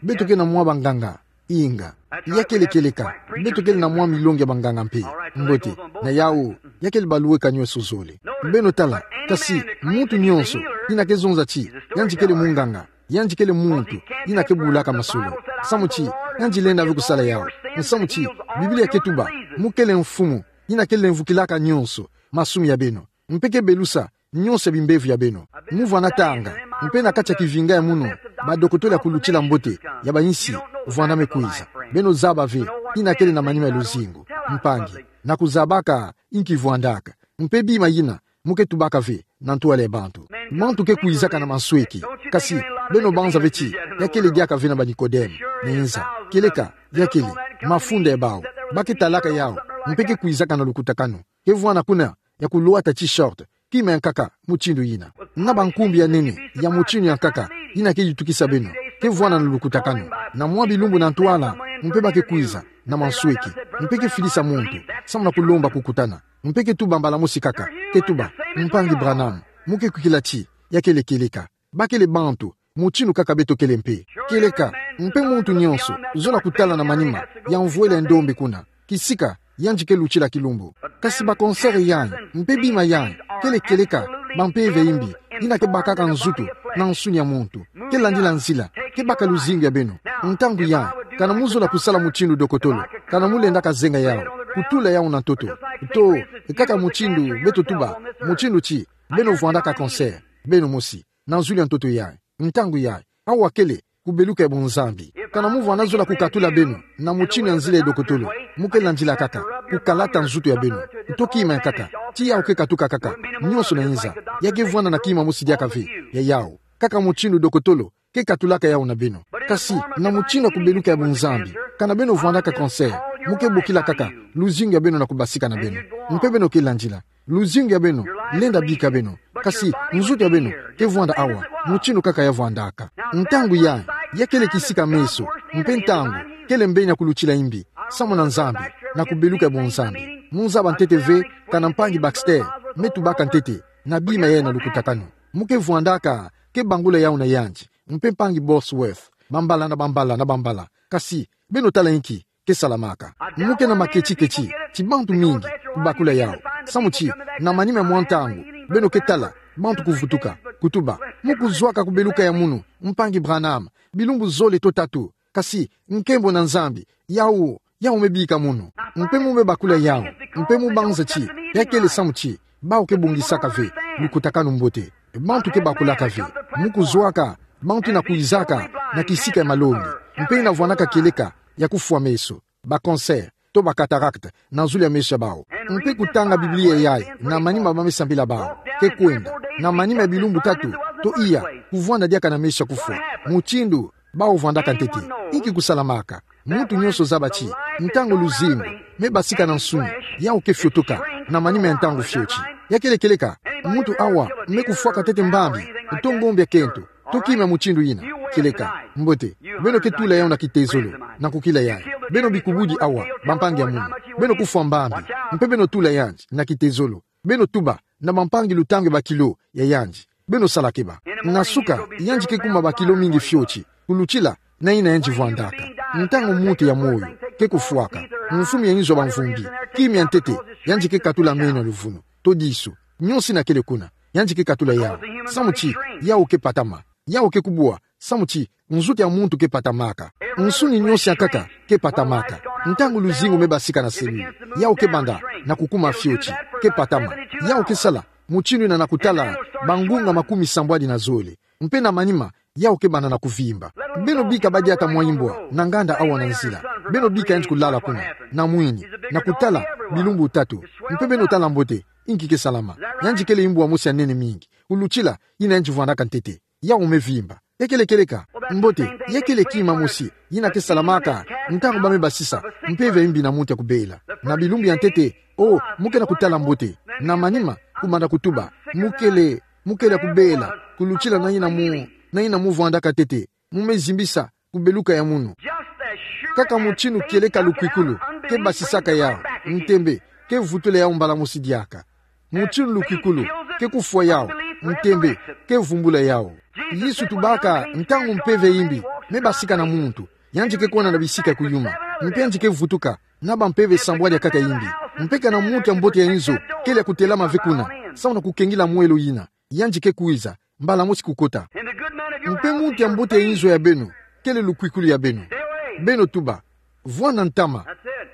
beto ke na mwa banganga, inga. Ya kele kieleka, beto kele na mwa milongi ya banganga mpe. Mbote, na yawu, ya kele baluweka nyonso zole. Beno tala, kasi, muntu nyonso, ina ke zonza ti, yandi kele munganga, yandi kele muntu, ina ke bulaka masolo. Samu ti, yandi lenda ve kusala yawu. Samu ti, Biblia ke tuba, mu kele mfumu, ina ke lemvukilaka nyonso, masumu ya beno. Mpe ke belusa, nyonso ya bimbevo ya beno. Mu vwanda tanga, mpe na kati ya kivinga ya munu, badokotolo ya kulutila mbote, ya ba insi, vwanda me kwiza. Beno zaba ve, ina kele na manima ya luzingu, mpangi, na kuzabaka, inki vwandaka. Mpe bima yina, mu ke tubaka ve, na ntwala ya bantu. Bantu ke kwizaka na mansweki, kasi, beno banza ve ti, ya kele diaka ve na ba Nikodeme, na inza. Kieleka, ya kele, mafunda ya bawu, ba ke talaka yawu, mpe ke kwizaka na lukutakanu. Ke vwanda kuna, ya kulwata ti short, kima ya nkaka, mutindu yina. Na bankumbi ya nene, ya mutindu ya nkaka, ina ke yutukisa beno. Ke vwanda na lukutakanu. Na mwa bilumbu na ntwala, mpe ba ke kwiza, na mansweki. Mpe ke filisa muntu, samu na kulomba kukutana. Mpe ke tuba mbala mosi kaka, ke tuba, mpangi Branham, mu ke kwikila ti, ya kele kieleka. Ba kele bantu, mutindu kaka beto kele mpe. Kieleka, mpe muntu nyonso, zola kutala na manima, ya mvwela ya ndombe kuna. Kisika, yandi ke lutila kilumbu. Kasi ba cancer yayi, mpe bima yayi, kele kieleka, ba mpeve ya imbi, ina ke bakaka nzutu, na nsuni ya muntu. Ke landila nzila, ke baka luzingu ya beno. Ntangu yayi, kana mu zola kusala mutindu dokotolo, kana mu lendaka zenga yawu, kutula yawu na ntoto. To, kaka mutindu, beto tuba, mutindu ti, beno vwandaka cancer, beno mosi. Na nzulu ya ntoto yayi. Ntangu yayi. Awa kele, kubeluka ya bunzambi. Kana mu vwanda zola kukatula beno, na mutindu ya nzila ya dokotolo. Mu ke landila kaka, kukalata nzutu ya beno. Nto kima ya nkaka, ti yawu ke katuka kaka, nyonso na inza. Ya ke vwanda na kima mosi diaka ve, ya yawu. Kaka mutindu dokotolo, ke katulaka yawu na beno. Kasi, na mutindu ya kubeluka ya bunzambi. Kana beno vwandaka cancer, mu ke bokila kaka, luzingu ya beno na kubasika na beno. Mpe beno ke landila. Luzingu ya beno, lenda bika beno. Kasi, nzutu ya beno, ke vwanda awa, mutindu kaka ya vwandaka. Ntangu yayi, ya kele kisika meso, mpe ntangu, kele mbeni ya kulutila imbi, samu na Nzambi, na kubeluka ya bunzambi. Mu zaba ntete ve, kana mpangi Baxter, me tubaka ntete, na bima yayi na lukutakanu. Mu ke vwandaka, ke bangula yawu na yandi, mpe mpangi Bosworth, bambala na bambala na bambala. Kasi, beno tala inki, ke salamaka. Mu ke na maketiketi, ti bantu mingi, kubakula yawu. Samu ti, na manima ya mwa ntangu, beno ke tala, bantu kuvutuka, kutuba. Mu kuzwaka kubeluka ya munu, mpangi Branham, bilumbu zole to tatu. Kasi, nkembo na Nzambi, yawu, yawu me bika munu. Mpe mu me bakula yawu, mpe mu banza ti, ya kele samu ti, bawu ke bongisaka ve, lukutakanu mbote. Bantu ke bakulaka ve, mu kuzwaka, bantu ina kwizaka, na kisika ya malongi, mpe ina vwandaka kieleka, ya kufwa meso, ba cancer, to ba cataracte, na nzulu ya meso ya bawu. Mpe kutanga Biblia yayi, na manima ba me sambila bawu, ke kwenda, na manima ya bilumbu tatu, to iya, kuvwanda diaka na meso ya kufwa. Mutindu, bawu vwandaka ntete, inki kusalamaka. Muntu nyonso zaba ti, ntangu luzingu, me basika na nsuni, yawu ke fiotoka, na manima ya ntangu fioti. Ya kele kieleka, muntu awa, me kufwaka ntete mbambi, to ngombe ya kento, to kima mutindu yina, kieleka, mbote, beno ke tula yawu na kitezolo, na kukila yayi. Beno bikubudi awa, bampangi ya munu. Beno kufwa mbambi, mpe beno tula yandi, na kitezolo. Beno tuba, na bampangi lutangu ya bakilo, ya yandi. Beno sala keba. Na suka, yandi ke kuma bakilo mingi fioti. Kulutila, na ina yandi vwandaka. Ntangu muntu ya moyo, ke kufwaka. Mfumu ya inzo ya bamvumbi. Kima ya ntete, yandi ke katula meno ya luvunu. To disu. Nyonso ina kele kuna. Yandi ke katula yawu. Samu ti, yawu ke patama. Yawu ke kubwa, samu ti, nzutu ya muntu ke patamaka. Nsuni nyonso ya nkaka, ke patamaka. Ntangu luzingu me basika na cellule, yawu ke banda, na kukuma fioti, ke patama. Yawu ke sala, mutindu yina na kutala, bangunga makumi sambwadi na zole. Mpe na manima, yawu ke banda na kuvimba. Beno bika badiata mwa imbwa, na nganda awa na nzila. Beno bika yandi kulala kuna, na mwini, na kutala, bilumbu tatu. Mpe beno tala mbote, inki ke salama. Yandi kele imbwa mosi ya nene mingi. Kulutila, ina yandi vwandaka ntete. Yawu me vimba. Ya kele kieleka. Mbote, ya kele kima mosi, yina ke salamaka, ntangu ba me basisa, mpeve ya imbi na muntu ya kubela. Na bilumbu ya ntete, o, mu ke na kutala mbote. Na manima, kubanda kutuba. Mu kele, mu kele ya kubela, kulutila na ina mu, na ina mu vwandaka ntete. Mu me zimbisa, kubeluka ya munu. Kaka mutindu kieleka lukwikulu, ke basisaka yawu, ntembe, ke vutula yawu mbala mosi diaka. Mutindu lukwikulu, ke kufwa yawu, Ntembe, ke vumbula yawu. Yesu tubaka, ntangu mpeve ya imbi me basika na muntu, yandi ke kwenda na bisika ya kuyuma, mpe yandi ke vutuka na bampeve sambwadi ya nkaka ya imbi. Mpe kana muntu ya mbote ya inzo kele ya kutelama ve kuna, samu na kukengila mwelo yina, yandi ke kwiza, mbala mosi kukota. Mpe muntu ya mbote ya inzo ya beno kele lukwikulu ya beno. Beno tuba, vwanda ntama.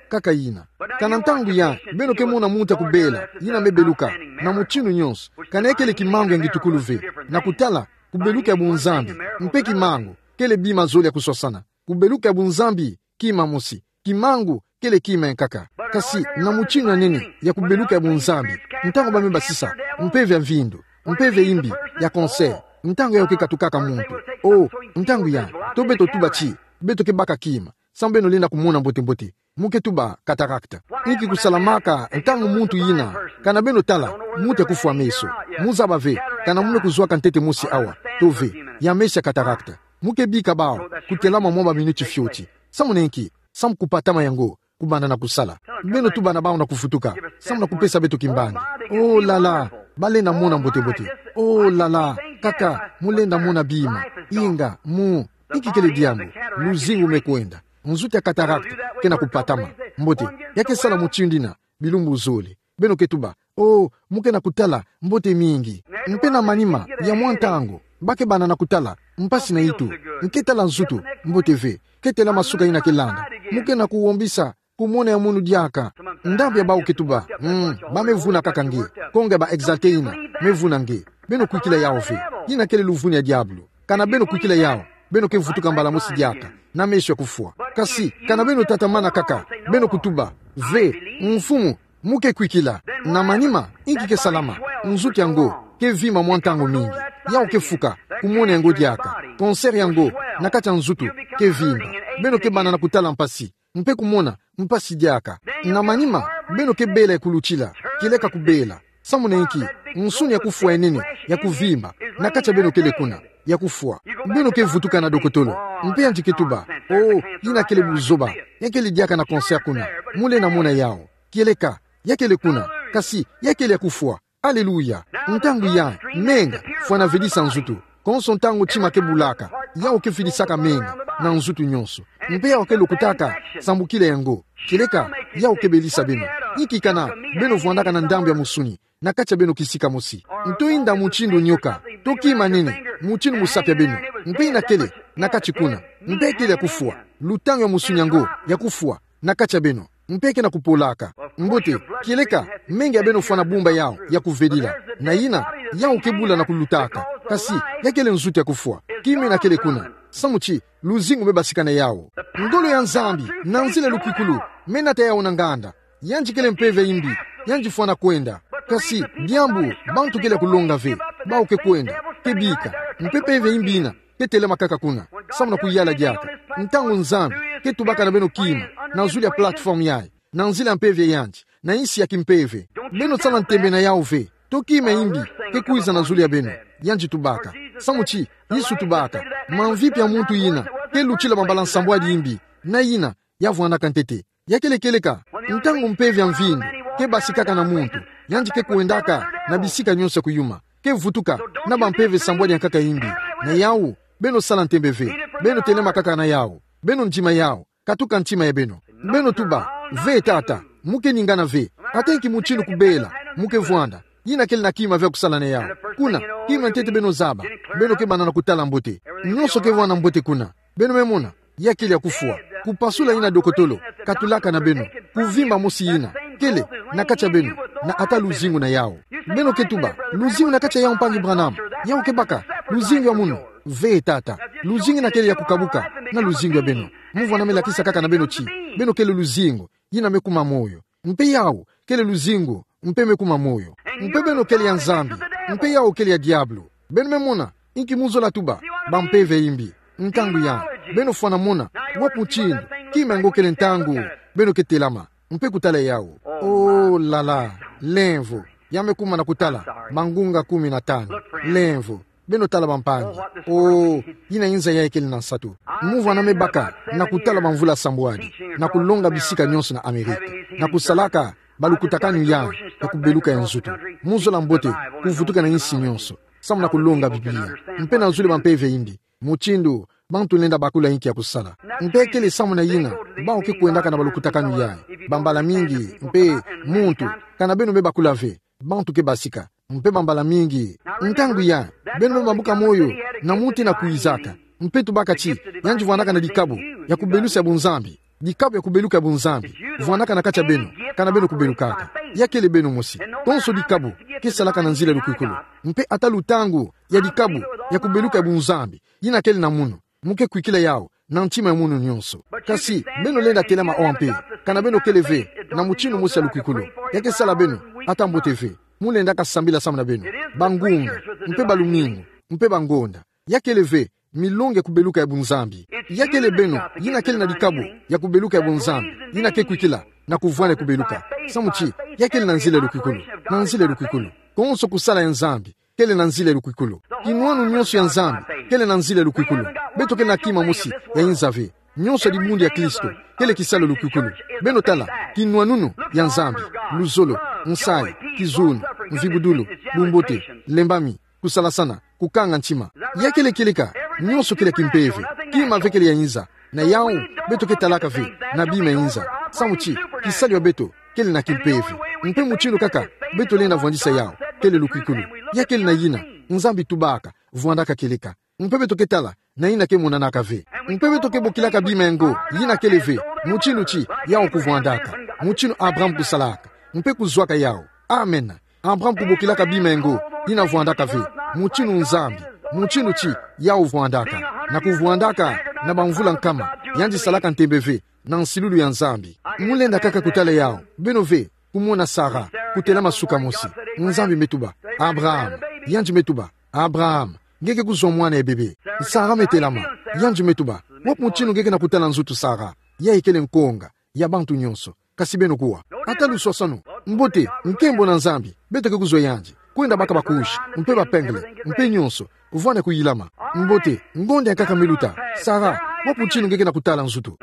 Kaka yina. Kana ntangu ya beno ke mona muntu ya kubela, yina me beluka, na mutindu nyonso, kana ya kele kimangu ya ngitukulu ve, na kutala kubeluka ya bunzambi, mpe kimangu kele bima zole ya kuswasana. Kubeluka ya bunzambi, kima mosi. Kimangu kele kima ya nkaka. Kasi na mutindu ya nene ya kubeluka ya bunzambi, ntangu ba me basisa mpeve ya mvindu, mpeve ya imbi, ya cancer, ntangu yawu ke katukaka muntu. Oh, ntangu ya, to beto tuba ti beto ke baka kima, samu beno lenda kumona mbote-mbote. Mu ke tuba cataracte. Inki kusalamaka ntangu muntu yina, kana beno tala, muntu ya kufwa meso? Mu zaba ve, kana mu me kuzwaka ntete mosi awa, to ve, ya meso ya cataracte. Mu ke bika bawu kutelama mwa baminiti fioti. Samu na inki? Samu kupatama yango kubanda na kusala. Beno tuba na bawu na kuvutuka, samu na kupesa beto kimbangi. Oh là là, balenda mona mbote-mbote. Oh là là, kaka, mu lenda mona bima. Inga, mu, inki kele diambu? Luzingu me kwenda. Nzutu ya cataracte ke na kupatama. Mbote, ya ke sala mutindu yina bilumbu zole. Beno ke tuba, oh, mu ke na kutala mbote mingi. Mpe na manima ya mwa ntangu, ba ke banda na kutala mpasi na itu. Nge ke tala nzutu mbote ve, ke telama suka yina ke landa. Mu ke na kuhombisa kumona ya munu diaka. Ndambu ya bawu ke tuba, mm, ba me vuna kaka nge. Konga ba exalté yina me vuna nge. Beno kwikila yawu ve. Yina kele luvunu ya diabulu. Kana beno kwikila yawu, beno ke vutuka mbala mosi diaka na meso ya kufwa. Kasi kana beno tatamana kaka, beno kutuba, ve, Mfumu, mu ke kwikila. Na manima, inki ke salama? Nzutu yango ke vimba mwa ntangu mingi. Yawu ke fuka, kumona yango diaka. Cancer yango na kati ya nzutu ke vimba. Beno ke banda na kutala mpasi, mpe kumona mpasi diaka. Na manima, beno ke bela ya kulutila, kieleka kubela. Samu na inki? Nsuni ya kufwa ya nene, ya kuvimba, na kati ya beno kele kuna, ya kufwa. Beno ke vutuka na dokotolo, mpe yandi ke tuba, oh, yina kele buzoba, ya kele diaka na cancer kuna. Mu lenda mona yawu. Kieleka, ya kele kuna, kasi ya kele ya kufwa. Aleluya. Ntangu ya, menga, fwana velisa nzutu. Konso ntangu tima ke bulaka, yawu ke velisaka menga na nzutu nyonso. Mpe yawu ke lokotaka sambukila yango. Kieleka, yawu ke belisa beno. Inki kana beno vwandaka na ndambu ya musuni na kati ya beno kisika mosi? Nto yinda mutindu nioka, to kima nene, mutindu musapi ya beno. Mpe yina kele na kati kuna. Mpe kele ya kufwa. Lutangu ya musuni yango ya kufwa na kati ya beno, mpe ke na kupolaka. Mbote, kieleka, menga ya beno fwana bumba yawu ya kuvelila. Na yina, yawu ke bula na kulutaka. Kasi ya kele nzutu ya kufwa. Kima yina kele kuna. Samu ti luzingu me basika na yawu. Ngolo ya Nzambi, na nzila lukwikulu, me nata yawu na nganda. Yandi kele mpeve ya imbi, yandi fwana kwenda. Kasi diambu, bantu kele ya kulonga ve, bawu ke kwenda, ke bika. Mpe mpeve ya imbi yina ke telama kaka kuna, samu na kuyala diaka. Ntangu Nzambi ke tubaka na beno kima na zulu ya plateforme yayi, na nzila ya mpeve ya yandi, na insi ya kimpeve, beno sala ntembe na yawu ve. To kima ya imbi ke kwiza na zulu ya beno, yandi tubaka. Samu ti Yesu tubaka, mamvipi ya muntu yina ke lutila bambala nsambwadi ya imbi, na yina ya vwandaka ntete? Ya kele kieleka, ntangu mpeve ya mvindu ke basikaka na muntu, yandi ke kwendaka na bisika nyonso ya kuyuma, ke vutuka na bampeve sambwadi ya nkaka ya imbi. Na yawu, beno sala ntembe ve, beno telema kaka na yawu, beno ndima yawu, katuka ntima ya beno. Beno tuba, ve Tata, mu ke ningana ve. Ata inki mutindu kubela mu ke vwanda, yina kele na kima ve ya kusala na yawu. Kuna, kima ntete beno zaba, beno ke banda na kutala mbote. Nyonso ke vwanda mbote kuna. Beno me mona, ya kele ya kufwa. Kupasula yina dokotolo katulaka na beno. Kuvimba mosi yina kele na kati ya beno, na ata luzingu na yawu. Beno ke tuba, luzingu na kati ya yawu, mpangi Branham? Yawu ke baka luzingu ya munu? Ve Tata. Luzingu yina kele ya kukabuka na luzingu ya beno. Mu vwanda me lakisa kaka na beno ti beno kele luzingu yina me kuma moyo. Mpe yawu kele luzingu, mpe me kuma moyo. Mpe beno kele ya Nzambi, mpe yawu kele ya diabulu. Beno me mona inki mu zola tuba, bampeve ya imbi. Ntangu ya, beno fwana mona wapi mutindu kima yango kele ntangu beno ke telama mpe kutala yawu. Oh là là, lemvo. Ya me kuma na kutala mangunga kumi na tanu. Lemvo. Beno tala, bampangi. Oh, yina inza yayi kele na nsatu. Mu vwanda me baka na kutala bamvula sambwadi, na kulonga bisika nyonso na Amerika, na kusalaka balukutakanu yayi ya kubeluka ya nzutu. Mu zola mbote kuvutuka na insi nyonso. samu na kulonga Biblia. Mpe nazule ba mpeve ya imbi, mutindu bantu lenda bakula inki ya kusala. Mpe kele samu na yina, bawu ke kwendaka na balukutakanu yayi, bambala mingi, mpe muntu, kana beno me bakula ve, bantu ke basika. Mpe bambala mingi, ntangu yayi, beno me bambuka moyo, na muntu ina kwizaka. Mpe tubaka ti, yandi vwandaka na dikabu ya kubelusa ya bunzambi. Dikabu ya kubeluka ya bunzambi vwandaka na kati ya beno, kana beno kubelukaka. Ya kele beno mosi. Konso dikabu ke salaka na nzila ya lukwikulu. Mpe ata lutangu ya dikabu ya kubeluka ya bunzambi yina kele na munu, mu ke kwikila yawu na ntima ya munu nyonso. Kasi, beno lenda telama awa mpe, kana beno kele ve na mutindu mosi ya lukwikulu. Ya ke sala beno ata mbote ve. Mu lendaka sambila samu na beno, bangunga, mpe balumingu, mpe bangonda. Ya kele ve milongi ya kubeluka ya bunzambi. Ya kele beno yina kele na dikabu ya kubeluka ya bunzambi, yina ke kwikila na kuvwanda ya kubeluka. Samu ti, ya kele na nzila ya lukwikulu. Na nzila ya lukwikulu. Konso kusala ya Nzambi kele na nzila ya lukwikulu. Kinwanu nyonso ya Nzambi kele na nzila ya lukwikulu. Beto kele na kima mosi ya inza ve. Nyonso ya dibundu ya Kristo kele kisalu ya lukwikulu. Beno tala, kinwanunu ya Nzambi: luzolo, nsayi, kizunu, mvibudulu, bumbote, lembami, kusalasana, kukanga ntima. Ya kele kieleka, nyonso kele kimpeve. Kima ve kele ya inza. Na yawu, beto ke talaka ve na bima ya inza. Samu ti, kisalu ya beto kele na kimpeve. Mpe mutindu kaka beto lenda vwandisa yawu kele lukwikulu. Ya kele na yina, Nzambi tubaka, vwandaka kieleka. Mpe beto ke tala na yina ke monanaka ve. Mpe beto ke bokilaka bima yango yina kele ve, mutindu ti yawu kuvwandaka, mutindu Abraham kusalaka, mpe kuzwaka yawu. Amen. Abraham kubokilaka bima yango yina vwandaka ve, mutindu Nzambi, mutindu ti yawu vwandaka, na kuvwandaka na bamvula nkama, yandi salaka ntembe ve na nsilulu ya Nzambi. Mu lenda kaka kutala yawu, beno ve, kumona Sara kutelama suka mosi. Nzambi me tuba: Abraham. Yandi me tuba: Abraham, nge ke kuzwa mwana ya bebe. Sara me telama. Yandi me tuba: Wapi mutindu nge ke na kutala nzutu, Sara? Yayi kele nkonga ya bantu nyonso. Kasi beno kuwa. Ata luswaswanu. Mbote, nkembo na Nzambi, beto ke kuzwa yandi. Kwenda baka ba-couches, mpe ba-pingles, mpe nyonso, kuvwanda kuyilama. Mbote, ngonda ya nkaka me luta. Sara, wapi mutindu nge ke na kutala nzutu?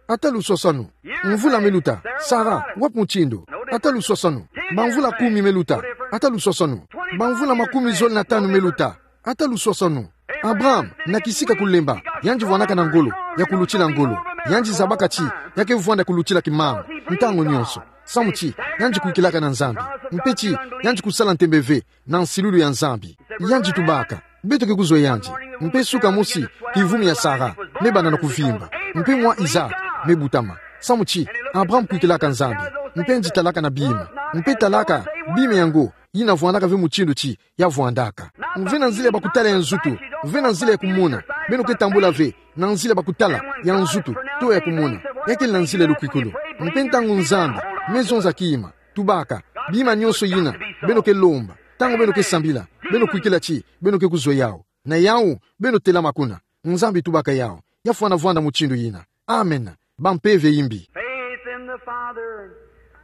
Ata luswaswanu. Mvula me luta. Sara, wapi mutindu? Ata luswaswanu. Bamvula kumi me luta. Ata luswaswanu. Bamvula makumi zole na tanu me luta. Ata luswaswanu. Abraham, na kisika kulemba, yandi vwandaka na ngolo ya kulutila ngolo. Yandi zabaka ti ya ke vwanda kulutila kimangu ntangu nyonso. Samu ti yandi kwikilaka na Nzambi, mpe ti yandi kusala ntembe ve na nsilulu ya Nzambi. Yandi tubaka: Beto ke kuzwa yandi. Mpe suka mosi, kivumi ya Sara me banda na kuvimba. Mpe mwa Isaac me butama. Samu ti Abraham kwikilaka Nzambi, mpe yandi talaka na bima, mpe talaka bima yango yina vwandaka ve mutindu ti ya vwandaka. Mpe na nzila ya bakutala ya nzutu, mpe na nzila ya kumona, beno ke tambula ve na nzila ya bakutala ya nzutu to ya kumona. Ya kele na nzila ya lukwikulu. Mpe ntangu Nzambi me zonza kima, tubaka: Bima nyonso yina beno ke lomba, ntangu beno ke sambila, beno kwikila ti beno ke kuzwa yawu. Na yawu, beno telama kuna. Nzambi tubaka yawu. Ya fwana vwanda mutindu yina. Amen. Bampeve imbi. Faith in the Father,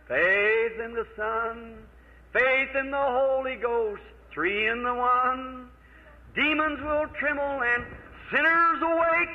faith in the Son, faith in the Holy Ghost, three in the one. Demons will tremble and sinners awake.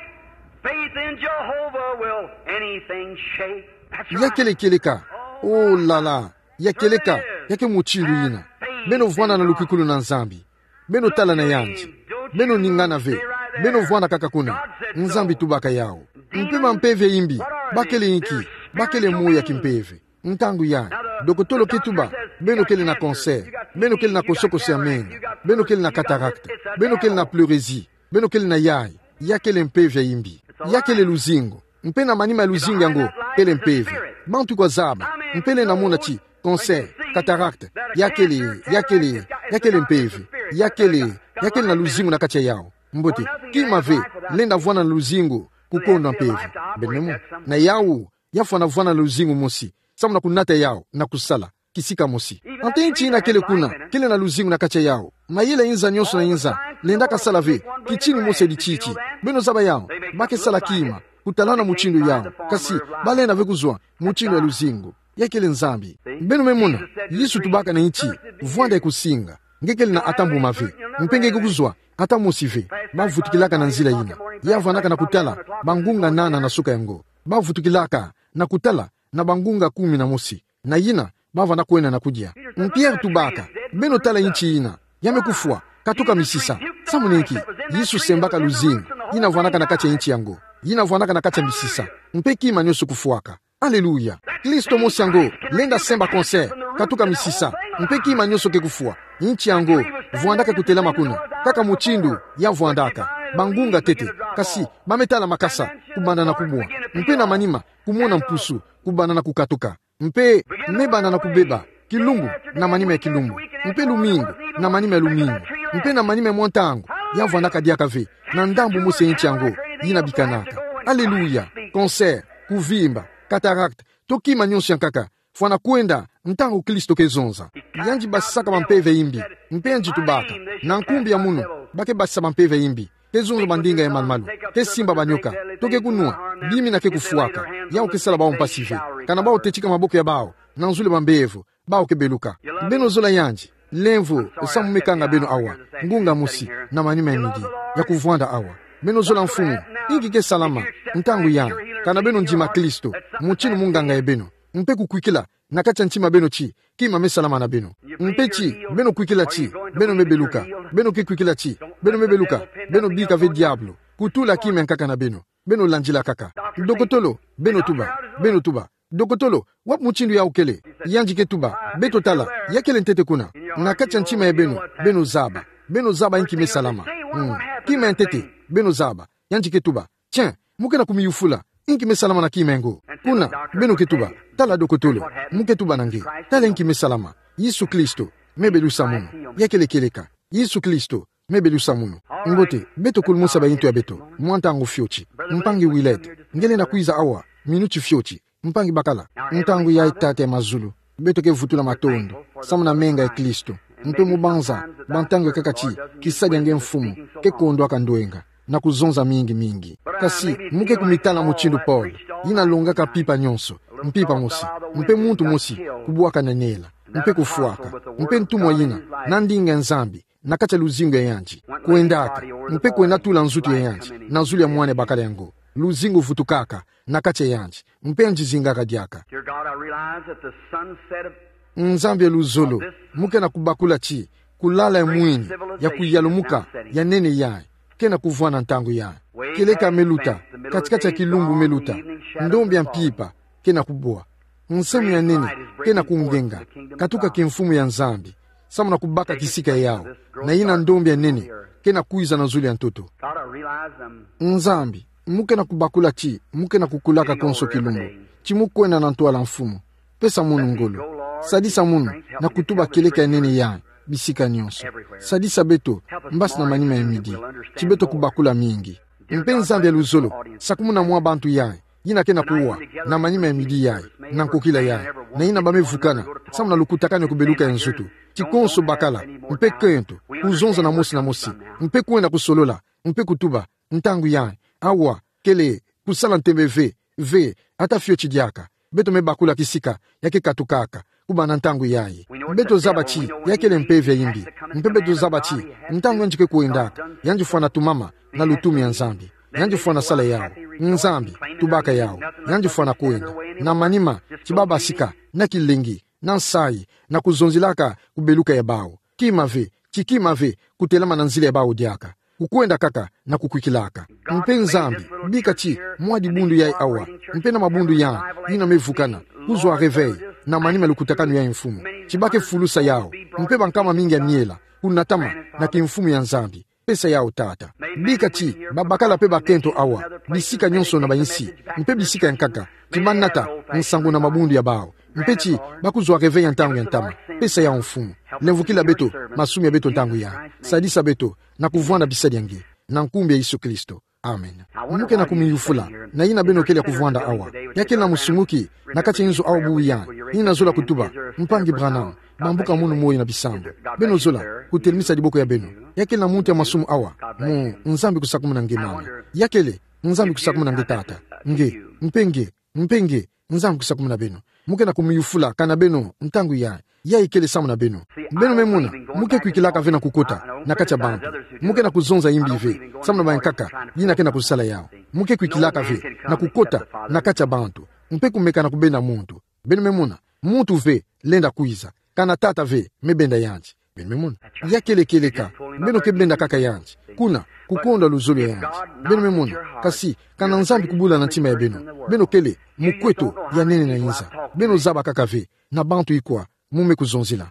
Faith in Jehovah will anything shake. That's right. Ya kele kieleka. Oh la la. Ya kieleka. Ya ke mutindu yina. Beno vwanda na lukwikulu na Nzambi. Beno tala na yandi. Beno ningana ve. Beno vwanda kaka kuna. Nzambi tubaka yawu. Mpe bampeve imbi, ba kele inki? Ba kele moyo ya kimpeve. Ntangu yayi, dokotolo ke tuba: Beno kele na cancer. Beno kele na kosokoso ya menga. Beno kele na cataracte. Beno kele na pleurésie. Beno kele na yayi. Ya kele mpeve ya imbi. Ya kele luzingu. Mpe na manima ya luzingu yango kele mpeve. Bantu kwa zaba, mpe lenda mona ti cancer, cataracte, ya kele, ya kele, ya kele mpeve. Ya kele, ya kele na luzingu na kati ya yawu. Mbote, kima ve lenda vwanda na luzingu kukondwa mpeve. Beno me mona? Na yawu, ya fwana vwanda na luzingu mosi, samu na kunata yawu na kusala kisika mosi. Ata nti yina kele kuna, kele na luzingu na kati ya yawu. Mayele ya inza nyonso na inza lendaka sala ve kitini mosi ya dititi. Beno zaba yawu, ba ke sala kima kutalana mutindu yawu. Kasi ba lenda ve kuzwa mutindu ya luzingu. Ya kele Nzambi. Beno me mona, Yesu tubaka na nti, vwanda ye kusinga. Nge kele na ata mbuma ve, mpe nge ke kuzwa ata mosi ve. Ba vutukilaka na nzila yina. Ya vwandaka na kutala bangunga nana na suka ya ngo. Ba vutukilaka na kutala na bangunga kumi na mosi. Na yina, ba vwanda kwenda na kudia. Pierre tubaka: Beno tala nti yina. Ya me kufwa. Katuka misisa. Samu na inki? Yesu sembaka luzingu yina vwandaka na kati ya inti yango, yina vwandaka na kati ya misisa, mpe kima nionso kufwaka. Aleluya. Klisto mosi yango lenda semba concert, katuka misisa, mpe kima nionso ke kufwa. Inti yango vwandaka kutelama kuna, kaka mutindu ya vwandaka. Bangunga ntete, kasi ba me tala makasa kubanda na kubwa, mpe na manima kumona mpusu kubanda na kukatuka. Mpe me banda na kubeba, kilumbu na manima ya kilumbu, mpe lumingu na manima ya lumingu, mpe na manima ya mwa ntangu, ya vwandaka diaka ve na ndambu mosi ya inti yango yina bikanaka. Aleluya. Concert, kuvimba, cataracte, to kima nionso ya nkaka fwana kwenda ntangu Klisto ke zonza. Yandi basisaka bampeve ya imbi, mpe yandi tubaka: Na nkumbu ya munu ba ke basisa bampeve ya imbi, ke zonza bandinga ya malu-malu, ke simba banioka, to ke kunwa bima yina ke kufwaka. Yawu ke sala bawu mpasi ve. Kana bawu tetika maboko ya bawu na nzulu ya bambevo, bawu ke beluka. Beno zola yandi? Lemvo samu me kanga beno awa, ngunga mosi na manima ya midi, ya kuvwanda awa. Beno zola Mfumu? Inki ke salama ntangu yayi? Kana beno ndima Klisto mutindu munganga ya beno, mpe kukwikila na kati ya ntima ya beno ti kima me salama na beno. Mpe ti beno kwikila ti beno me beluka, beno ke kwikila ti beno me beluka, beno bika ve diabulu kutula kima ya nkaka na beno. Beno landila kaka. Dokotolo, beno tuba, beno tuba: Dokotolo, wapi mutindu yawu kele? Yandi ke tuba: Beto tala, ya kele ntete kuna, na kati ya ntima ya beno. Beno zaba, beno zaba inki me salama. Hmm. Kima ya ntete, beno zaba. Yandi ke tuba: Tiens, mu ke na kumiyufula inki me salama na kima yango. Kuna beno ke tuba: Tala dokotolo, mu ke tuba na nge: Tala inki me salama. Yesu Klisto, me belusa munu. Ya kele kieleka. Yesu Klisto, me belusa munu. Mbote, beto kulumusa bayinto ya beto mwa ntangu fioti. Mpangi Willard, nge lenda kwiza awa minuti fioti? Mpangi bakala. Ntangu yayi, Tata ya mazulu, beto ke vutula matondo samu na menga ya Klisto, mpe mu banza bantangu ya nkaka ti kisadi ya nge Mfumu ke kondwaka ndwenga na kuzonza mingi mingi. Kasi mu ke kumitala mutindu Paul, yina longaka mpimpa nionso, mpimpa mosi, mpe muntu mosi kubwaka na nela, mpe kufwaka, mpe ntumwa yina na ndinga ya Nzambi na kati ya luzingu ya yandi, kwendaka, mpe kwenda tula nzutu ya yandi na zulu ya mwana ya bakala yango. Luzingu vutukaka na kati ya yandi, mpe yandi zingaka diaka. Dear God, I realize that the sunset of Nzambi ya luzolo, mu ke na kubakula ti kulala ya mwini ya kuyalumuka ya nene yayi ke na kuvwanda ntangu yayi. Kieleka me luta, kati-kati ya kilumbu me luta, ndombi ya mpimpa ke na kubwa. Nsemu ya nene ke na kungenga, katuka kimfumu ya Nzambi, samu na kubaka kisika yawu, na yina ndombi ya nene ke na kwiza na zulu ya ntoto. God, I realize I'm Nzambi, mu ke na kubakula ti mu ke na kukulaka konso kilumbu, ti mu kwenda na ntwala, Mfumu. Pesa munu ngolo. Sadisa munu na kutuba kieleka ya nene yayi bisika nionso. Sadisa beto, mbasi na manima ya midi, ti beto kubakula mingi. Mpe Nzambi ya luzolo, sakumuna mwa bantu yayi, yina ke na kuwa na manima ya midi yayi, na nkokila yayi, na yina ba me vukana samu na lukutakanu ya kubeluka ya nzutu, ti konso bakala, mpe kento, kuzonza na mosi na mosi, mpe kwenda kusolola, mpe kutuba, ntangu yayi, awa, kele kusala ntembe ve, ve, ata fioti diaka. Beto me bakula kisika ya ke katukaka kubanda ntangu yayi. Beto zaba ti ya kele mpeve ya imbi. Mpe beto zaba ti ntangu yandi ke kwendaka, yandi fwana tumama na lutumu ya Nzambi. Yandi fwana sala yawu. Nzambi, tubaka yawu. Yandi fwana kwenda na manima ti ba basika, na kilengi, na nsayi, na kuzonzilaka kubeluka ya bawu. Kima ve, ti kima ve kutelama na nzila ya bawu diaka. Kukwenda kaka na kukwikilaka. Mpe Nzambi, bika ti mwa dibundu yayi awa, mpe na mabundu yayi yina me vukana, kuzwa réveil na manima ya lukutakanu yayi, Mfumu, ti ba ke fulusa yawu, mpe bankama mingi ya miela kunatama na kimfumu ya Nzambi. Pesa yawu, Tata. Bika ti babakala mpe bakento awa, bisika nionso na bansi, mpe bisika ya nkaka, ti ba nata nsangu na mabundu ya bawu, mpe ti ba kuzwa réveil ya ntangu ya ntama. Pesa yawu, Mfumu. Lemvukila beto masumu ya beto ntangu yayi. Sadisa beto na kuvwanda bisadi ya nge, na nkumbu ya Yesu Kristo. Amen. Mu ke na kumiyufula na yina beno kele ya kuvwanda awa. Ya kele na musunguki na kati ya inzo awa bubu yayi, yina zola kutuba: Mpangi Branham, bambuka munu moyo na bisambu. Beno zola kutelemisa diboko ya beno. Ya kele na muntu ya masumu awa? Mu, Nzambi kusakumuna nge, mama. Ya kele, Nzambi kusakumuna nge, tata. Nge, mpe nge, mpe nge, Nzambi kusakumuna beno. Mu ke na kumiyufula kana beno ntangu yayi, yayi kele samu na beno. Beno me mona, mu ke kwikilaka ve na kukota na kati ya bantu. Mu ke na kuzonza imbi ve samu na bankaka yina ke na kusala yawu. Mu ke kwikilaka ve na kukota na kati ya bantu, mpe kumeka na kubenda muntu. Beno me mona, muntu ve lenda kwiza, kana tata ve me benda yandi. Beno me mona. Ya kele kieleka. Beno ke benda kaka yandi. Kuna, kukonda luzolo ya yandi. Beno me mona. Kasi, kana Nzambi kubula na ntima ya beno, beno kele mukweto ya nene na inza. Beno zaba kaka ve na bantu ikwa mu me kuzonzila.